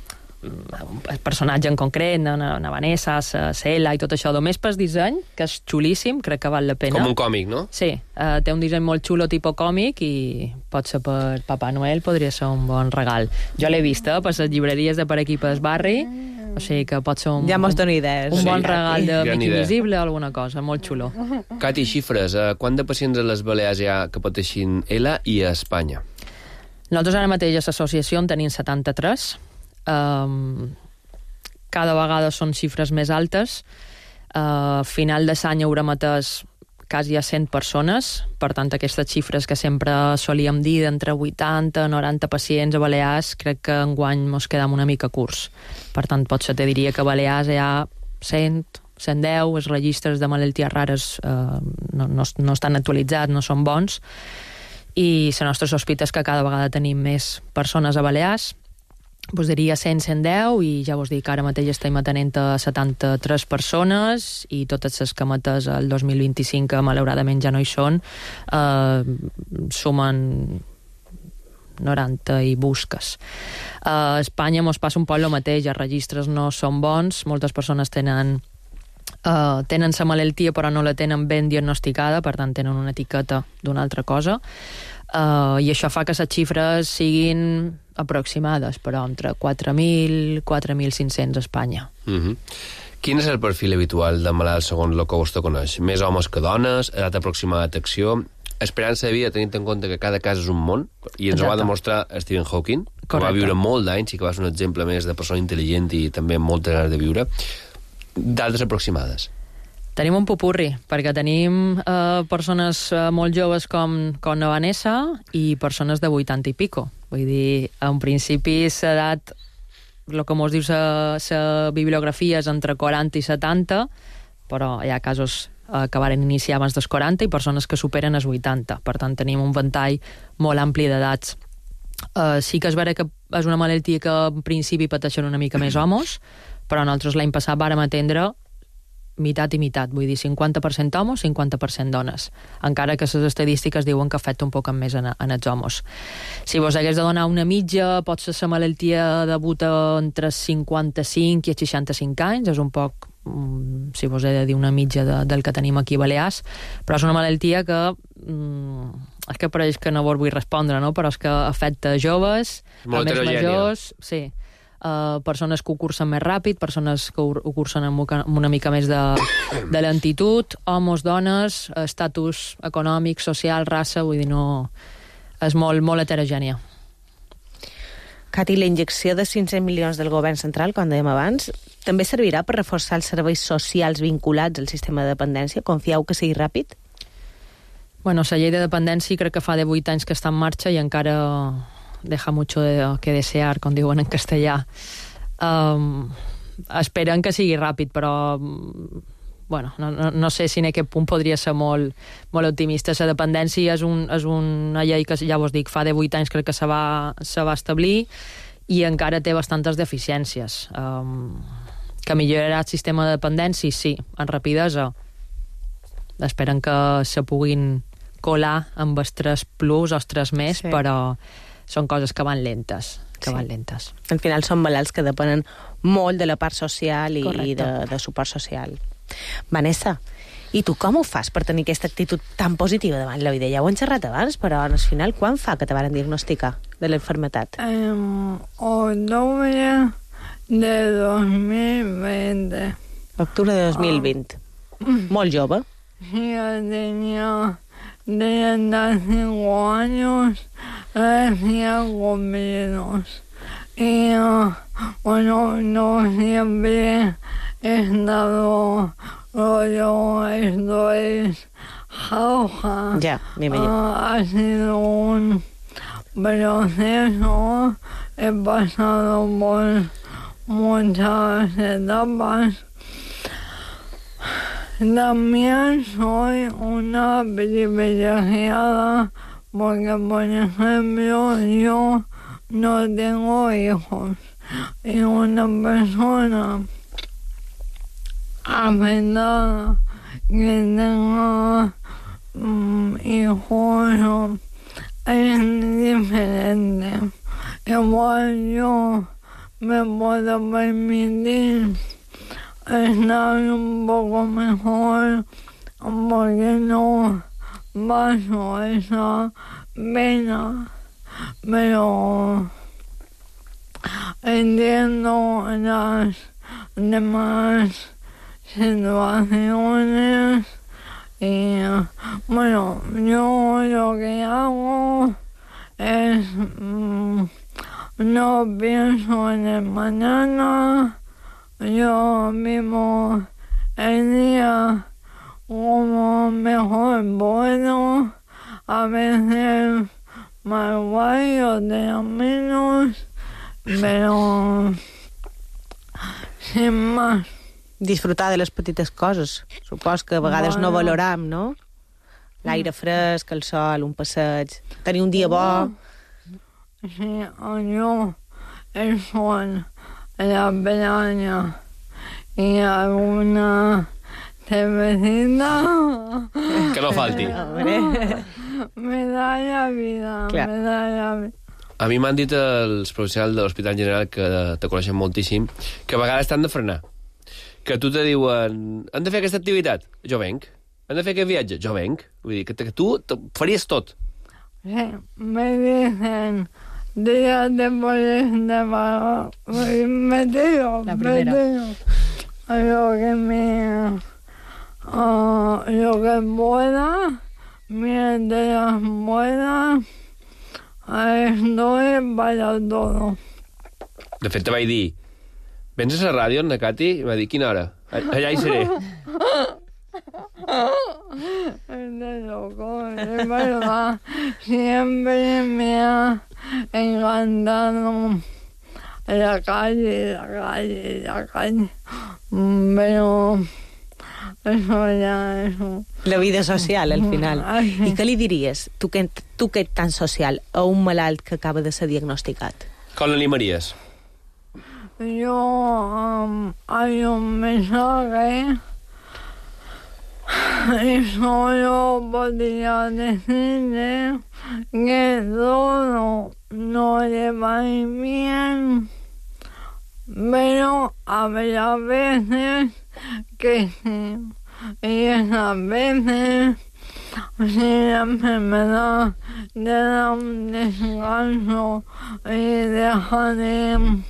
[SPEAKER 12] el personatge en concret, na Vanessa, la Cela i tot això, només pel disseny, que és xulíssim, crec que val la pena.
[SPEAKER 2] Com un còmic, no?
[SPEAKER 12] Sí, té un disseny molt xulo tipus còmic i potser per Papà Noel podria ser un bon regal. Jo l'he vista per les llibreries de per aquí pel barri, o sigui que pot ser
[SPEAKER 3] ja mos dona idees.
[SPEAKER 12] Un bon regal de
[SPEAKER 2] Gran
[SPEAKER 12] Mic
[SPEAKER 2] idea.
[SPEAKER 12] Invisible, alguna cosa, molt xulo.
[SPEAKER 2] Cati, xifres. Quant de pacients a les Balears hi ha que pateixin ELA i a Espanya?
[SPEAKER 12] Nosaltres ara mateix a l'associació en tenim 73. Cada vegada són xifres més altes. A final de l'any haurem atès quasi a 100 persones, per tant aquestes xifres que sempre solíem dir d'entre 80 i 90 pacients a Balears, crec que enguany mos quedem una mica curts. Per tant, potser te diria que a Balears hi ha 100, 110, els registres de malalties rares no estan actualitzats, no són bons, i la nostra sospita és que cada vegada tenim més persones a Balears. Vos diria 100, 110 i ja vos dic que ara mateix estem atenent a 73 persones i totes les que hem atès el 2025 que malauradament ja no hi són sumen 90 i busques. A Espanya mos passa un poc el mateix, els registres no són bons, moltes persones tenen la malaltia però no la tenen ben diagnosticada, per tant tenen una etiqueta d'una altra cosa. I això fa que les xifres siguin aproximades, però entre 4.000 i 4.500 a Espanya.
[SPEAKER 2] Quin és el perfil habitual de malalt segons el que vostè coneix? Més homes que dones, edat aproximada d'acció, esperança de vida tenint en compte que cada cas és un món, i ens ho va demostrar Stephen Hawking, que va viure molt d'anys i que va ser un exemple més de persona intel·ligent i també amb moltes ganes de viure. D'altres aproximades?
[SPEAKER 12] Tenim un popurri, perquè tenim persones molt joves com la Vanessa i persones de 80 i pico. Vull dir, en principi s'ha dat el que mos diu la bibliografia és entre 40 i 70, però hi ha casos que varen iniciar abans dels 40 i persones que superen els 80. Per tant, tenim un ventall molt ampli d'edats. Sí que és vera que és una malaltia que en principi pateixen una mica més homes, però nosaltres l'any passat vàrem atendre meitat i meitat, vull dir 50% homes, 50% dones, encara que les estadístiques diuen que afecta un poc més en els homes. Si vos hagués de donar una mitja, pot ser la malaltia debuta entre 55 i 65 anys, és un poc, si vos he de dir una mitja del que tenim aquí a Balears, però és una malaltia que és que pareix que no vos vull respondre, no? Però és que afecta joves, a més majors, sí, persones que ho cursen més ràpid, persones que ho cursen amb una mica més de lentitud, homes, dones, estatus econòmic, social, raça, vull dir, no... És molt, molt heterogènia.
[SPEAKER 3] Cati, la injecció de 500 milions del govern central, com dèiem abans, també servirà per reforçar els serveis socials vinculats al sistema de dependència? Confieu que sigui ràpid?
[SPEAKER 12] Bueno, la llei de dependència crec que fa de 8 anys que està en marxa i encara deja mucho que desear, com diuen en castellà. Esperen que sigui ràpid, però bueno, no sé si en aquest punt podria ser molt optimista. La dependència és una llei que, ja vos dic, fa de 8 anys crec que se va establir i encara té bastantes deficiències. Que millorarà el sistema de dependència? Sí, en rapidesa. Esperen que se puguin colar amb els 3 plus o els 3 més, sí. Però són coses que van lentes. Van lentes.
[SPEAKER 3] Al final són malalts que depenen molt de la part social i de suport social. Vanessa, i tu com ho fas per tenir aquesta actitud tan positiva davant la vida? Ja ho hem xerrat abans, però al final quan fa que te varen diagnosticar de la enfermetat?
[SPEAKER 13] Octubre de 2020.
[SPEAKER 3] Octubre de 2020. Molt jove.
[SPEAKER 13] Sí, yo tenía 35 años recién cumplidos. Y bueno, no siempre he estado rollo, esto es jauja.
[SPEAKER 3] Ya, me imagino.
[SPEAKER 13] Ha sido un proceso, he pasado por muchas etapas. También soy una privilegiada porque, por ejemplo, yo no tengo hijos. Y una persona afectada que tenga hijos es diferente. Igual yo me puedo permitir estar un poco mejor porque no paso esa pena, pero entiendo las demás situaciones y bueno, yo lo que hago es no pienso en el mañana. Yo vivo el día como mejor puedo. A veces más guay, otras menos, pero sin más.
[SPEAKER 3] Disfrutar de les petites coses. Supos que a vegades no valoram, no? L'aire fresc, el sol, un passeig, tenir un dia bo.
[SPEAKER 13] Sí, jo, el sol, la playa y alguna cervecita.
[SPEAKER 2] Que no falti.
[SPEAKER 13] Me da la vida,
[SPEAKER 3] clar.
[SPEAKER 13] Me da la vida.
[SPEAKER 2] A mi m'han dit els professionals de l'Hospital General, que te coneixen moltíssim, que a vegades t'han de frenar. Que tu te diuen, hem de fer aquesta activitat? Jo venc. Hem de fer aquest viatge? Jo venc. Vull dir, que tu faries tot.
[SPEAKER 13] Sí, me dicen... Días después de pagar, me tiro, lo que pueda, mientras pueda, estoy para todo.
[SPEAKER 2] De fet, te vaig dir, vens a la ràdio, Ana Cati? I va dir, quina hora? Allà hi seré.
[SPEAKER 13] de loco, es verdad. Siempre me ha encantado la calle. Pero eso ya, eso.
[SPEAKER 3] La vida social, al final. I què li diries, tu que ets tan social, a un malalt que acaba de ser diagnosticat?
[SPEAKER 2] Com l'animaries?
[SPEAKER 13] Yo hay un mensaje y solo podría decirle que todo no le va a ir bien, pero habrá veces que sí, y esas veces, si la enfermedad le da un descanso y deja de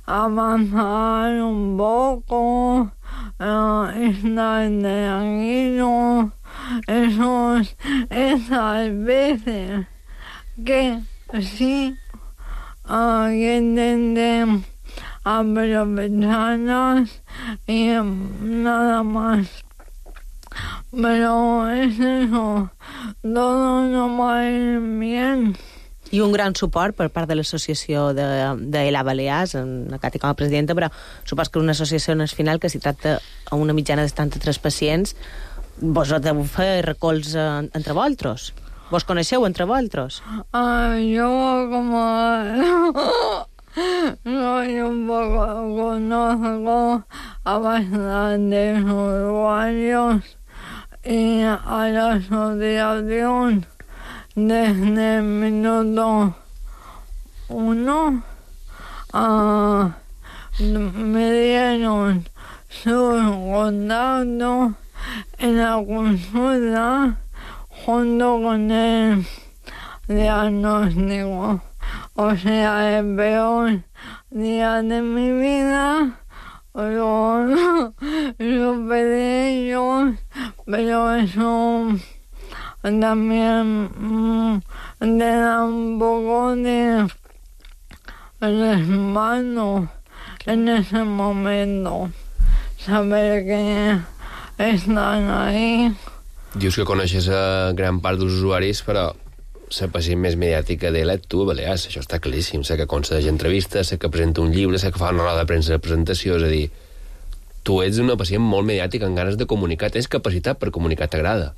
[SPEAKER 13] avanzar un poco, estar tranquilo, esas veces que sí que intenten aprovecharlas y nada más. Pero es eso, todo no va a ir bien.
[SPEAKER 3] I un gran suport per part de l'associació d'ELA Balears, en Cati com a presidenta, però supos que una associació no és final, que si tracta a una mitjana de 73 pacients, vos deu fer recolz entre vosaltres. Vos coneixeu entre vosaltres?
[SPEAKER 13] Yo como soy un poco, conozco a bastantes usuarios y a la asociación desde el minuto 1 me dieron su contacto en la consulta junto con el diagnóstico. O sea, el peor día de mi vida lo superé yo, pero eso también te da un poco de respaldo en ese momento, saber que estan ahí.
[SPEAKER 2] Dius que coneixes a gran part dels usuaris, però la pacient més mediàtica d'ella et tu, Balears, això està claríssim. Sé que concedeix entrevistes, sé que presenta un llibre, sé que fa una roda de premsa de presentació, és a dir, tu ets una pacient molt mediàtica, amb ganes de comunicar, tens capacitat per comunicar, t'agrada.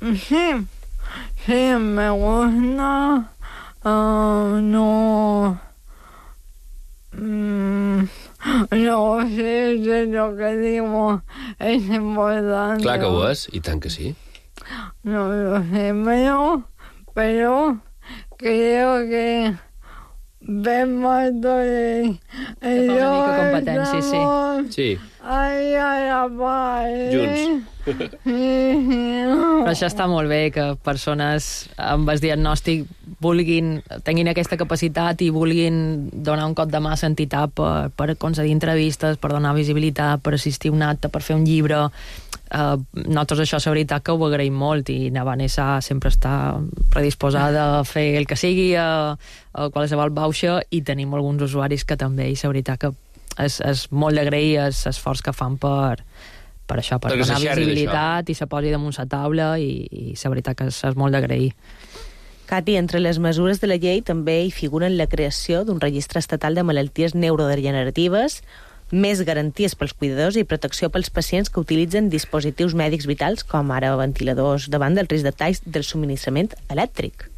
[SPEAKER 13] Sí, me gusta, no sé si lo que digo es importante.
[SPEAKER 2] Clar que ho és, i tant que sí.
[SPEAKER 13] No lo sé, pero creo que vemos el
[SPEAKER 12] una mica competència, sí.
[SPEAKER 2] Sí.
[SPEAKER 13] Ai, a la part.
[SPEAKER 2] Junts.
[SPEAKER 12] Però això està molt bé, que persones amb el diagnòstic tinguin aquesta capacitat i vulguin donar un cop de mà a l'entitat per concedir entrevistes, per donar visibilitat, per assistir a un acte, per fer un llibre. Nosaltres això, la veritat, que ho agraïm molt, i na Vanessa sempre està predisposada a fer el que sigui, a qualsevol bauxa, i tenim alguns usuaris que també, i la veritat que és molt d'agrair l'esforç que fan per això, per donar visibilitat i se posi damunt la taula, i la veritat que és molt d'agrair.
[SPEAKER 3] Cati, entre les mesures de la llei també hi figuren la creació d'un registre estatal de malalties neurodegeneratives, més garanties pels cuidadors i protecció pels pacients que utilitzen dispositius mèdics vitals, com ara ventiladors, davant del risc de talls del subministrament elèctric.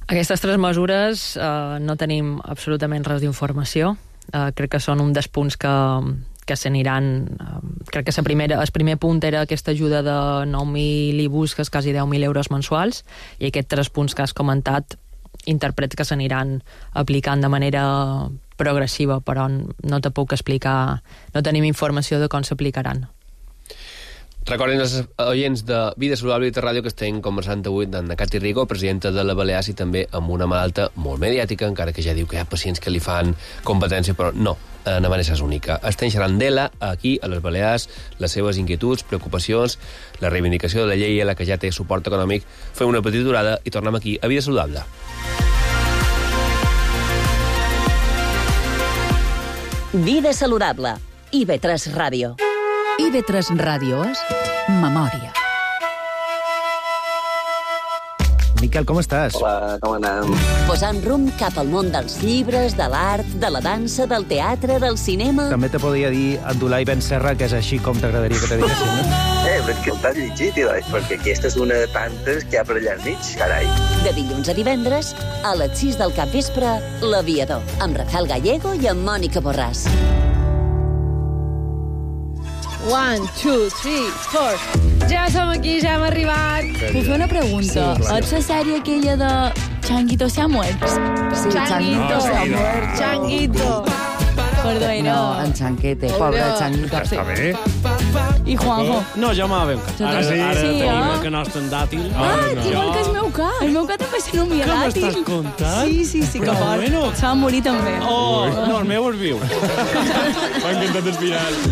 [SPEAKER 12] Aquestes tres mesures no tenim absolutament res d'informació. Crec que són un dels punts que s'aniran... Crec que el primer punt era aquesta ajuda de 9.000 IBUs, que és quasi 10.000 euros mensuals, i aquests 3 punts que has comentat interpret que s'aniran aplicant de manera progressiva, però no te puc explicar, no tenim informació de com s'aplicaran.
[SPEAKER 2] Recordin els oients de Vida Saludable i de Ràdio que estem conversant avui amb Cati Rigo, presidenta de la Balears, i també amb una malalta molt mediàtica, encara que ja diu que hi ha pacients que li fan competència, però no, na Vanessa és única. Estem xerrant d'ella aquí, a les Balears, les seves inquietuds, preocupacions, la reivindicació de la llei, la que ja té suport econòmic. Fem una petita aturada i tornem aquí a Vida Saludable.
[SPEAKER 1] Vida Saludable. IB3 Ràdio.
[SPEAKER 14] IB3 Ràdio és Memòria.
[SPEAKER 15] Miquel, com estàs?
[SPEAKER 16] Hola, com anem?
[SPEAKER 1] Posant rumb cap al món dels llibres, de l'art, de la dansa, del teatre, del cinema...
[SPEAKER 15] També te podria dir Abdulai Ben Serra, que és així com t'agradaria que te diguessin, no?
[SPEAKER 16] Però és que el t'has llegit, perquè aquesta és una de tantes que hi ha per allà enmig, carai.
[SPEAKER 1] De dilluns a divendres, a les 6 del capvespre, L'Aviador, amb Rafael Gallego i amb Mònica Borràs.
[SPEAKER 13] 1, 2, 3, 4. Ja som aquí, ja hem arribat.
[SPEAKER 17] Puc fer una pregunta?
[SPEAKER 13] Sí,
[SPEAKER 17] és la sèrie aquella de Changuito se ha muerto?
[SPEAKER 13] Sí, Changuito se ha muerto. Changuito.
[SPEAKER 17] Perdó,
[SPEAKER 18] No, en Chanquete, pobre Changuito.
[SPEAKER 19] Està bé.
[SPEAKER 17] I Juanjo?
[SPEAKER 19] No, jo m'ha ben cat. Ara tenim el que nostre en dàtil.
[SPEAKER 17] Igual que el meu cat. El meu cat també se nomia dàtil.
[SPEAKER 19] Què m'estàs contant?
[SPEAKER 17] Sí, que fort.
[SPEAKER 19] bueno.
[SPEAKER 17] Se va morir també.
[SPEAKER 19] No, el meu és viu. M'ha encantat el final.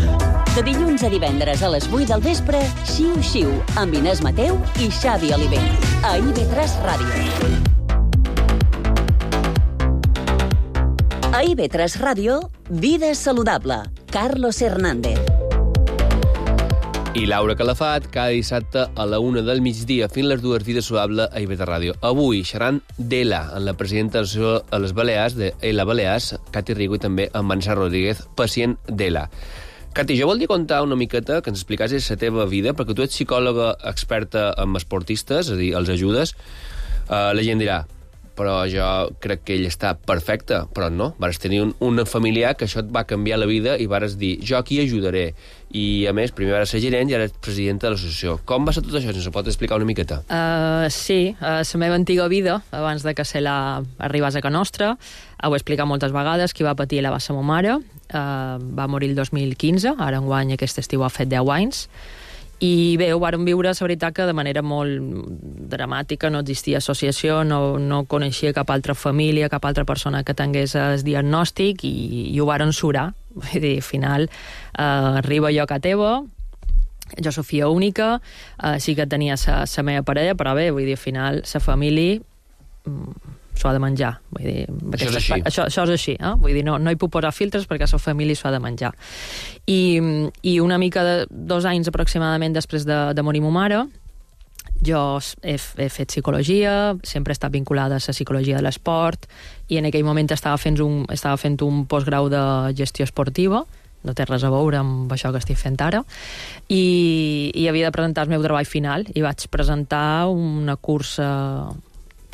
[SPEAKER 1] De dilluns a divendres a les 8 del vespre, Xiu Xiu, amb Inés Mateu i Xavi Oliver. A IB3 Ràdio. A IB3 Ràdio, Vida Saludable. Carlos Hernández.
[SPEAKER 2] I Laura Calafat, cada dissabte a la 1 del migdia, fins les 2, Vida Saludable a IB3 Ràdio. Avui xerrant d'ELA, amb la presidenta de les Balears, d'ELA Balears, Cati Rigo, i també amb Vanessa Rodríguez, pacient d'ELA. Cati, jo voldria contar una miqueta, que ens explicassis la teva vida, perquè tu ets psicòloga experta en esportistes, és a dir, els ajudes. La gent dirà, però jo crec que ell està perfecte, però no. Vas tenir un familiar que això et va canviar la vida i vas dir, jo aquí ajudaré. I, a més, primer vas ser gerent i ara ets presidenta de l'associació. Com va ser tot això? Ens ho pot explicar una miqueta?
[SPEAKER 12] Sí, la meva antiga vida, abans de que arribés a casa nostra, ho he explicat moltes vegades, qui va patir la va ser ma mare, va morir el 2015, ara enguany aquest estiu ha fet 10 anys, i bé, ho vàrem viure, la veritat, que de manera molt dramàtica, no existia associació, no coneixia cap altra família, cap altra persona que tingués el diagnòstic i ho vàrem surar. Vull dir, al final, arriba jo a casa teva, jo sóc filla única, sí que tenia la meva parella, però bé, vull dir, al final, la família s'ho ha de menjar. Vull dir, això és així, vull dir, no hi puc posar filtres perquè la família s'ho ha de menjar. I una mica de 2 anys aproximadament després de morir ma mare, jo he fet psicologia, sempre he estat vinculada a la psicologia de l'esport, i en aquell moment estava fent un postgrau de gestió esportiva, no té res a veure amb això que estic fent ara, i havia de presentar el meu treball final, i vaig presentar una cursa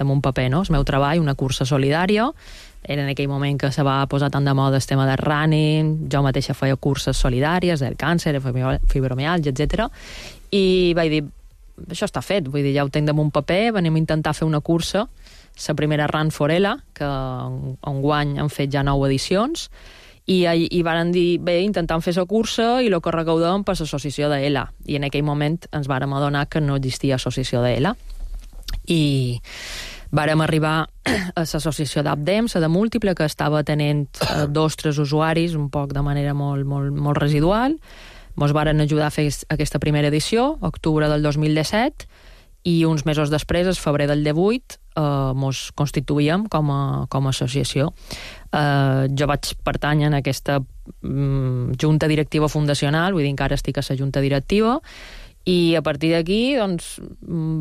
[SPEAKER 12] amb un paper, no? El meu treball, una cursa solidària. Era en aquell moment que se va posar tant de moda el tema del running, jo mateixa feia curses solidàries, del càncer, fibromialgia, etc. I vaig dir, això està fet, vull dir, ja ho tinc damunt paper, venim a intentar fer una cursa, la primera Run for ELA, que enguany han fet ja 9 edicions, i varen dir, bé, intentant fer la cursa i el que recaudem per l'associació d'ELA. I en aquell moment ens vàrem adonar que no existia associació d'ELA. I vàrem arribar a l'associació d'Abdems, de Múltiple, que estava tenint 2 o 3 usuaris, un poc de manera molt residual. Ens varen ajudar a fer aquesta primera edició, octubre del 2017, i uns mesos després, el febrer del 18, ens constituïem com a associació. Jo vaig pertànyer a aquesta junta directiva fundacional, vull dir, encara estic a la junta directiva, i a partir d'aquí doncs,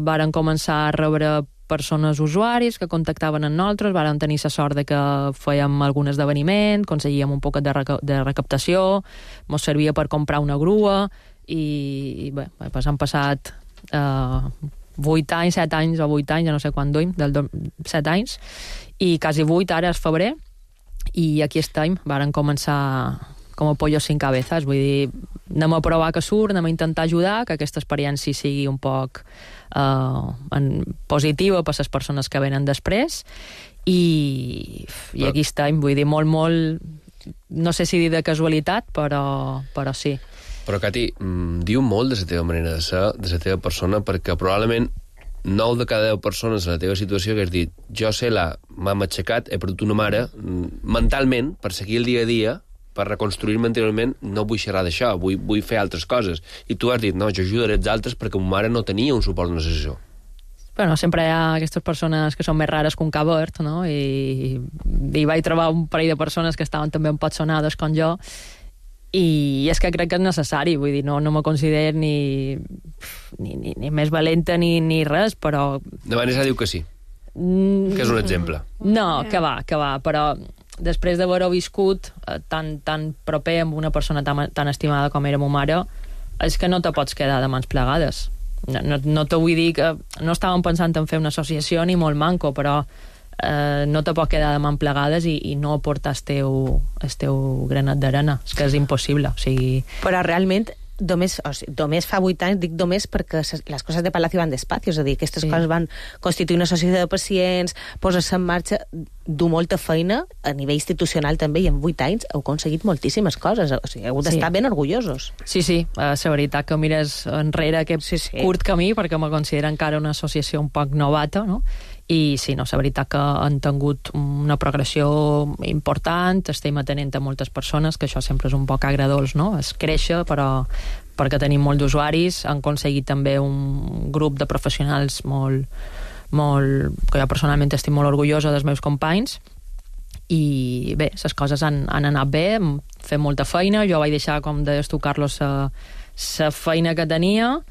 [SPEAKER 12] varen començar a rebre persones usuaris que contactaven amb nosaltres, vàrem tenir la sort de que fèiem algun esdeveniment, aconseguíem un poquet de recaptació, ens servia per comprar una grua, i bé, pues han passat 8 anys, 7 anys o 8 anys, ja no sé quan duim, 7 anys, i quasi 8 ara és febrer, i aquí estem, varen començar com a pollo sin cabezas, vull dir, anem a provar que surt, anem a intentar ajudar, que aquesta experiència sigui un poc positiva per les persones que venen després, i aquí estem, vull dir, molt, no sé si dir de casualitat, però sí.
[SPEAKER 2] Però, Cati, diu molt de la teva manera de ser, de la teva persona, perquè probablement 9 de cada 10 persones en la teva situació que has dit, jo m'hem aixecat, he perdut una mare, mentalment, per seguir el dia a dia, per reconstruir-me anteriorment, no vull xerrar d'això, vull fer altres coses. I tu has dit, no, jo ajudaré els altres perquè ma mare no tenia un suport d'una associació.
[SPEAKER 12] Bueno, sempre hi ha aquestes persones que són més rares que un cabert, no? I vaig trobar un parell de persones que estaven també un poc sonades com jo, I és que crec que és necessari, vull dir, no me considero ni més valenta ni res, però...
[SPEAKER 2] De Vanessa diu que sí, que és un exemple.
[SPEAKER 12] No, que va, però després d'haver-ho viscut tan proper amb una persona tan estimada com era ma mare, és que no te pots quedar de mans plegades. No te vull dir que... No estàvem pensant en fer una associació ni molt manco, però no te pot quedar de mans plegades i no aportar el teu granet d'arena. És que és impossible. O sigui...
[SPEAKER 3] Però realment, només fa 8 anys, dic només perquè les coses de Palacio van despacio, és a dir, aquestes coses van constituir una societat de pacients, posar-se en marxa, dur molta feina a nivell institucional també, i en 8 anys heu aconseguit moltíssimes coses, o sigui, heu d'estar ben orgullosos.
[SPEAKER 12] Sí, la veritat que mires enrere aquest curt camí, perquè me considero encara una associació un poc novata, no? I sí, la veritat que han tingut una progressió important, estem atenent a moltes persones, que això sempre és un poc agradolç, no? Es créixer, però perquè tenim molts d'usuaris, han aconseguit també un grup de professionals molt, que jo personalment estic molt orgullosa dels meus companys, i bé, les coses han anat bé, fem molta feina, jo vaig deixar, com deies tu, Carlos, la feina que tenia,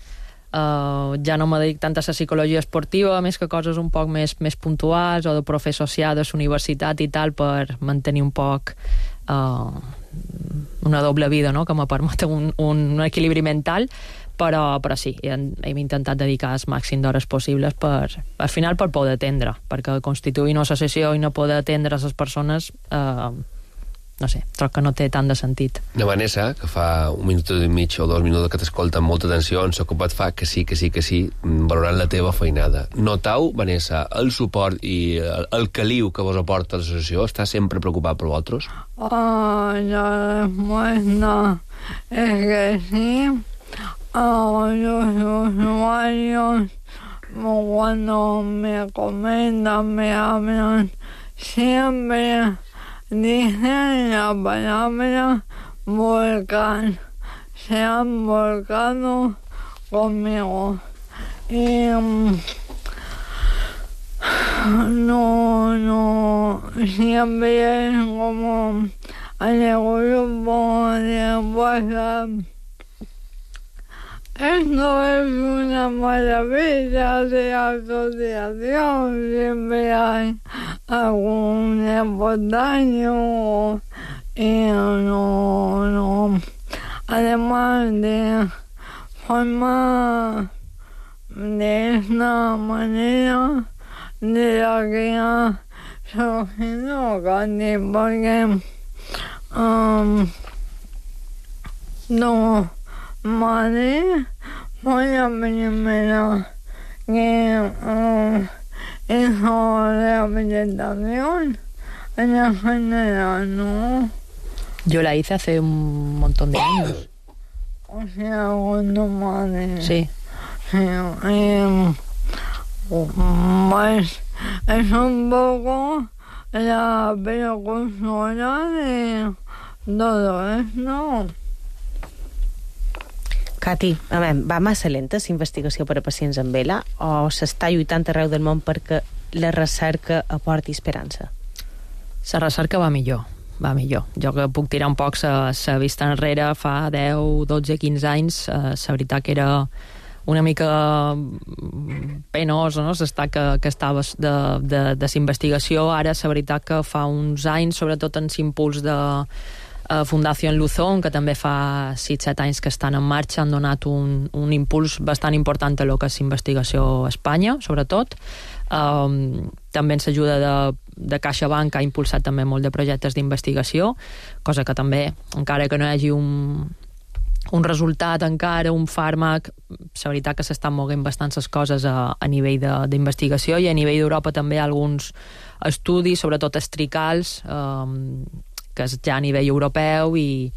[SPEAKER 12] ja no me dedic tant a la psicologia esportiva, més que coses un poc més puntuals, o de profe associat a la universitat i tal, per mantenir un poc una doble vida, no?, que me permet un equilibri mental, però sí, hem intentat dedicar el màxim d'hores possibles al final per poder atendre, perquè constituir una associació i no poder atendre les persones, no sé, troc que no té tant de sentit.
[SPEAKER 2] La Vanessa, que fa 1 minut i mig o 2 minuts que t'escolta amb molta atenció, en s'ocupat fa que sí, valorant la teva feinada. Notau, Vanessa, el suport i el caliu que vos aporta l'associació? Està sempre preocupat per vosaltres?
[SPEAKER 13] No, es que sí, los usuarios cuando me comentan, me hablan, siempre dicen la palabra volcán. Se han volcado conmigo. Y no, siempre es como en el grupo de WhatsApp. Esto es una maravilla de asociación, siempre hay algún espontáneo y no. Además de formar de esta manera de la que ha surgido Candy, porque no. Madre, fue la primera que hizo rehabilitación en la general, ¿no?
[SPEAKER 12] Yo la hice hace un montón de años.
[SPEAKER 13] O sea, cuando madre.
[SPEAKER 12] Sí.
[SPEAKER 13] Pues es un poco la precursora de todo esto.
[SPEAKER 3] Cati, va massa lenta la investigació per a pacients amb ELA o s'està lluitant arreu del món perquè la recerca aporti esperança?
[SPEAKER 12] La recerca va millor. Jo que puc tirar un poc la vista enrere, fa 10, 12, 15 anys, la veritat que era una mica penós, no?, l'estat que estaves de la investigació. Ara, la veritat que fa uns anys, sobretot en l'impuls de Fundació Luzón, que també fa 6-7 anys que estan en marxa, han donat un impuls bastant important a lo que és investigació a Espanya, sobretot. També ens ajuda de CaixaBank, que ha impulsat també molt de projectes d'investigació, cosa que també, encara que no hi hagi un resultat encara, un fàrmac, la veritat que s'estan moguent bastants les coses a nivell d'investigació, i a nivell d'Europa també hi ha alguns estudis, sobretot estricals, que és ja a nivell europeu, i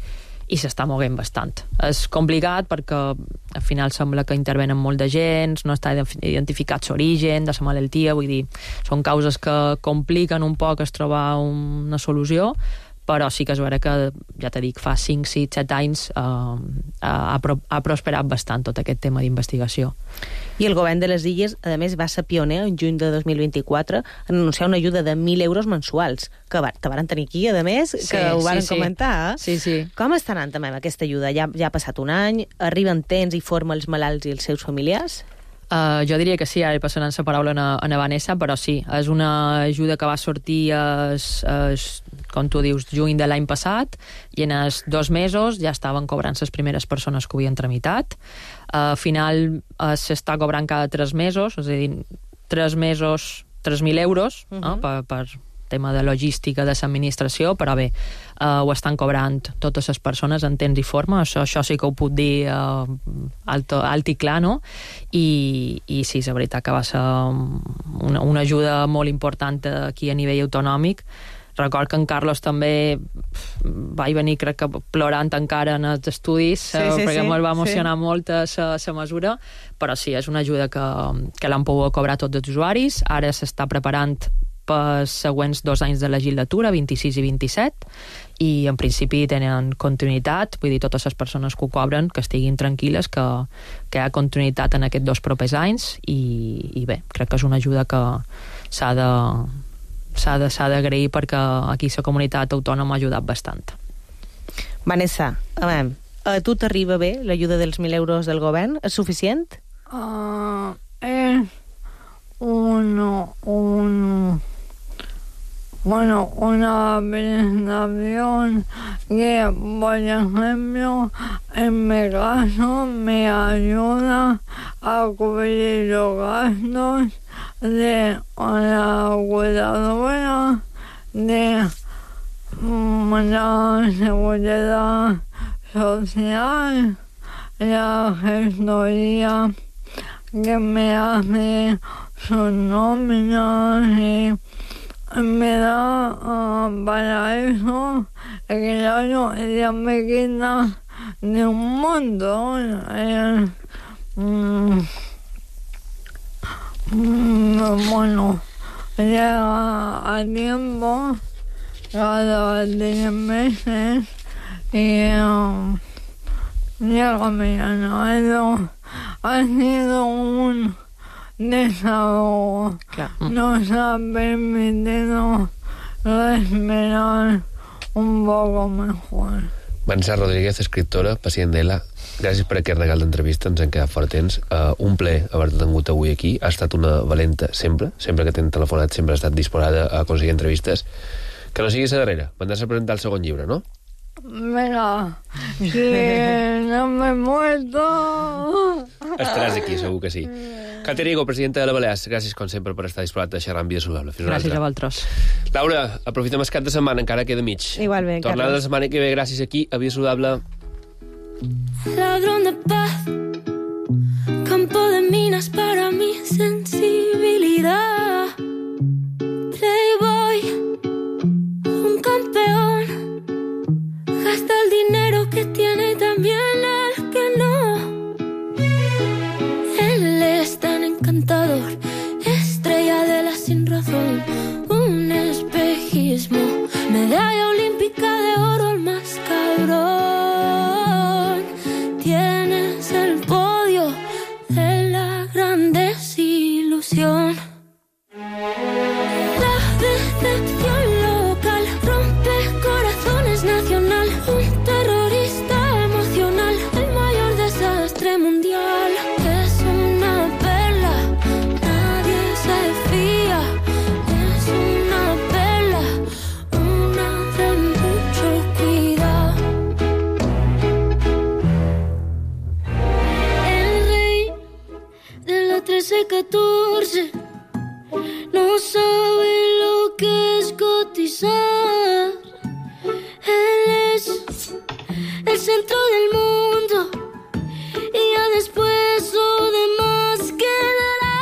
[SPEAKER 12] s'està moguent bastant. És complicat perquè al final sembla que intervenen molt de gens, no està identificat l'origen de la malaltia, vull dir, són causes que compliquen un poc es trobar una solució, però sí que és vera que, ja t'he dit, fa 5, 6, 7 anys ha prosperat bastant tot aquest tema d'investigació.
[SPEAKER 3] I el govern de les Illes, a més, va ser pioner en juny de 2024 en anunciar una ajuda de 1.000 euros mensuals, que varen tenir aquí, a més, que ho varen comentar.
[SPEAKER 12] Sí.
[SPEAKER 3] Com està anant també amb aquesta ajuda? Ja ha passat un any, arriba en temps i forma els malalts i els seus familiars?
[SPEAKER 12] Jo diria que sí, ara passant la paraula a Vanessa, però sí, és una ajuda que va sortir, com tu dius, juny de l'any passat, i en els 2 mesos ja estaven cobrant les primeres persones que ho havien tramitat. Al final s'està cobrant cada 3 mesos, és a dir, 3 mesos, 3.000 euros, per tema de logística de l'administració, però bé, ho estan cobrant totes les persones en temps i forma, això sí que ho puc dir alt i clar, no? I sí, és veritat que va ser una ajuda molt important aquí a nivell autonòmic. Record que en Carlos també vaig venir, crec que plorant encara en els estudis, perquè ens va emocionar molt la mesura, però sí, és una ajuda que l'han pogut cobrar tots els usuaris. Ara s'està preparant pels següents 2 anys de legislatura, 26 i 27, i en principi tenen continuïtat, vull dir, totes les persones que ho cobren que estiguin tranquil·les, que hi ha continuïtat en aquests 2 propers anys, i bé, crec que és una ajuda que s'ha d'agrair, perquè aquí la comunitat autònoma ha ajudat bastant.
[SPEAKER 3] Vanessa, a tu t'arriba bé l'ajuda dels 1.000 euros del govern? És suficient?
[SPEAKER 13] Una prestación que, por ejemplo, en mi caso me ayuda a cubrir los gastos de la cuidadora, de la seguridad social, la gestoría que me hace sus nóminas, y me da para eso, claro, ella me quita de un montón. Bueno, llega a tiempo cada 10 meses y llega mi año. Ha sido un desahogo. Nos ha permitido respirar un poco mejor.
[SPEAKER 2] Vanessa Rodríguez, escriptora, pacient d'ELA, gràcies per aquest regal d'entrevista, ens hem quedat fort temps. Un plaer haver-te tingut avui aquí. Ha estat una valenta sempre que t'hem telefonat, sempre ha estat disposada a aconseguir entrevistes. Que no sigui la darrera. Vendràs a presentar el segon llibre, no?
[SPEAKER 13] Venga, sí, no me he muerto.
[SPEAKER 2] Estaràs aquí, segur que sí. Katia Rigo, presidenta de la Balears, gràcies com sempre per estar disposat a xerrar amb Vida Saludable.
[SPEAKER 12] Gràcies a vosaltres.
[SPEAKER 2] Laura, aprofitem el cap de setmana, encara queda mig.
[SPEAKER 3] Igualment,
[SPEAKER 2] Tornada la setmana que ve, gràcies aquí a Vida Saludable.
[SPEAKER 20] Ladrón de paz, campo de minas para mi sensibilidad. Playboy, un campeón, gasta el dinero que tiene y también el que no. Él es tan encantador, estrella de la sin razón, un espejismo, medalla olímpica de oro, el más cabrón. Tienes el podio de la gran desilusión. La decepción local rompe corazones nacional, un terrorista emocional, el mayor desastre mundial. Es una perla, nadie se fía. Es una perla, una de mucho cuidado. El rey de la 13-14 no sabe lo que es cotizar. Él es el centro del mundo y ya después lo demás quedará.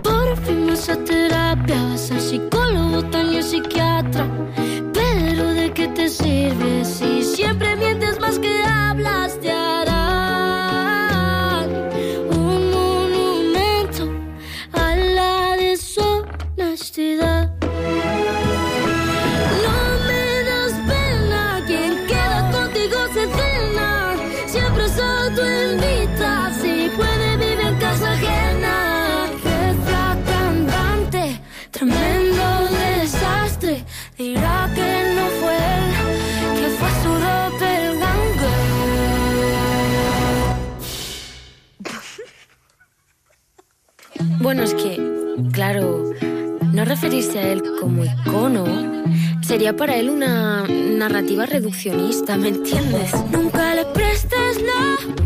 [SPEAKER 20] Por fin vas a terapia, vas al psicólogo, también psiquiatra. Pero ¿de qué te sirve si siempre mientes más que hablas? Te harán un monumento a la deshonestidad. se cena, siempre se autoinvita, si puede vive en casa ajena. Reza cantante, tremendo desastre, dirá que no fue él, que fue su doppelganger.
[SPEAKER 21] Bueno, es que, claro, no referirse a él como icono sería para él una narrativa reduccionista, ¿me entiendes?
[SPEAKER 20] Nunca le prestes la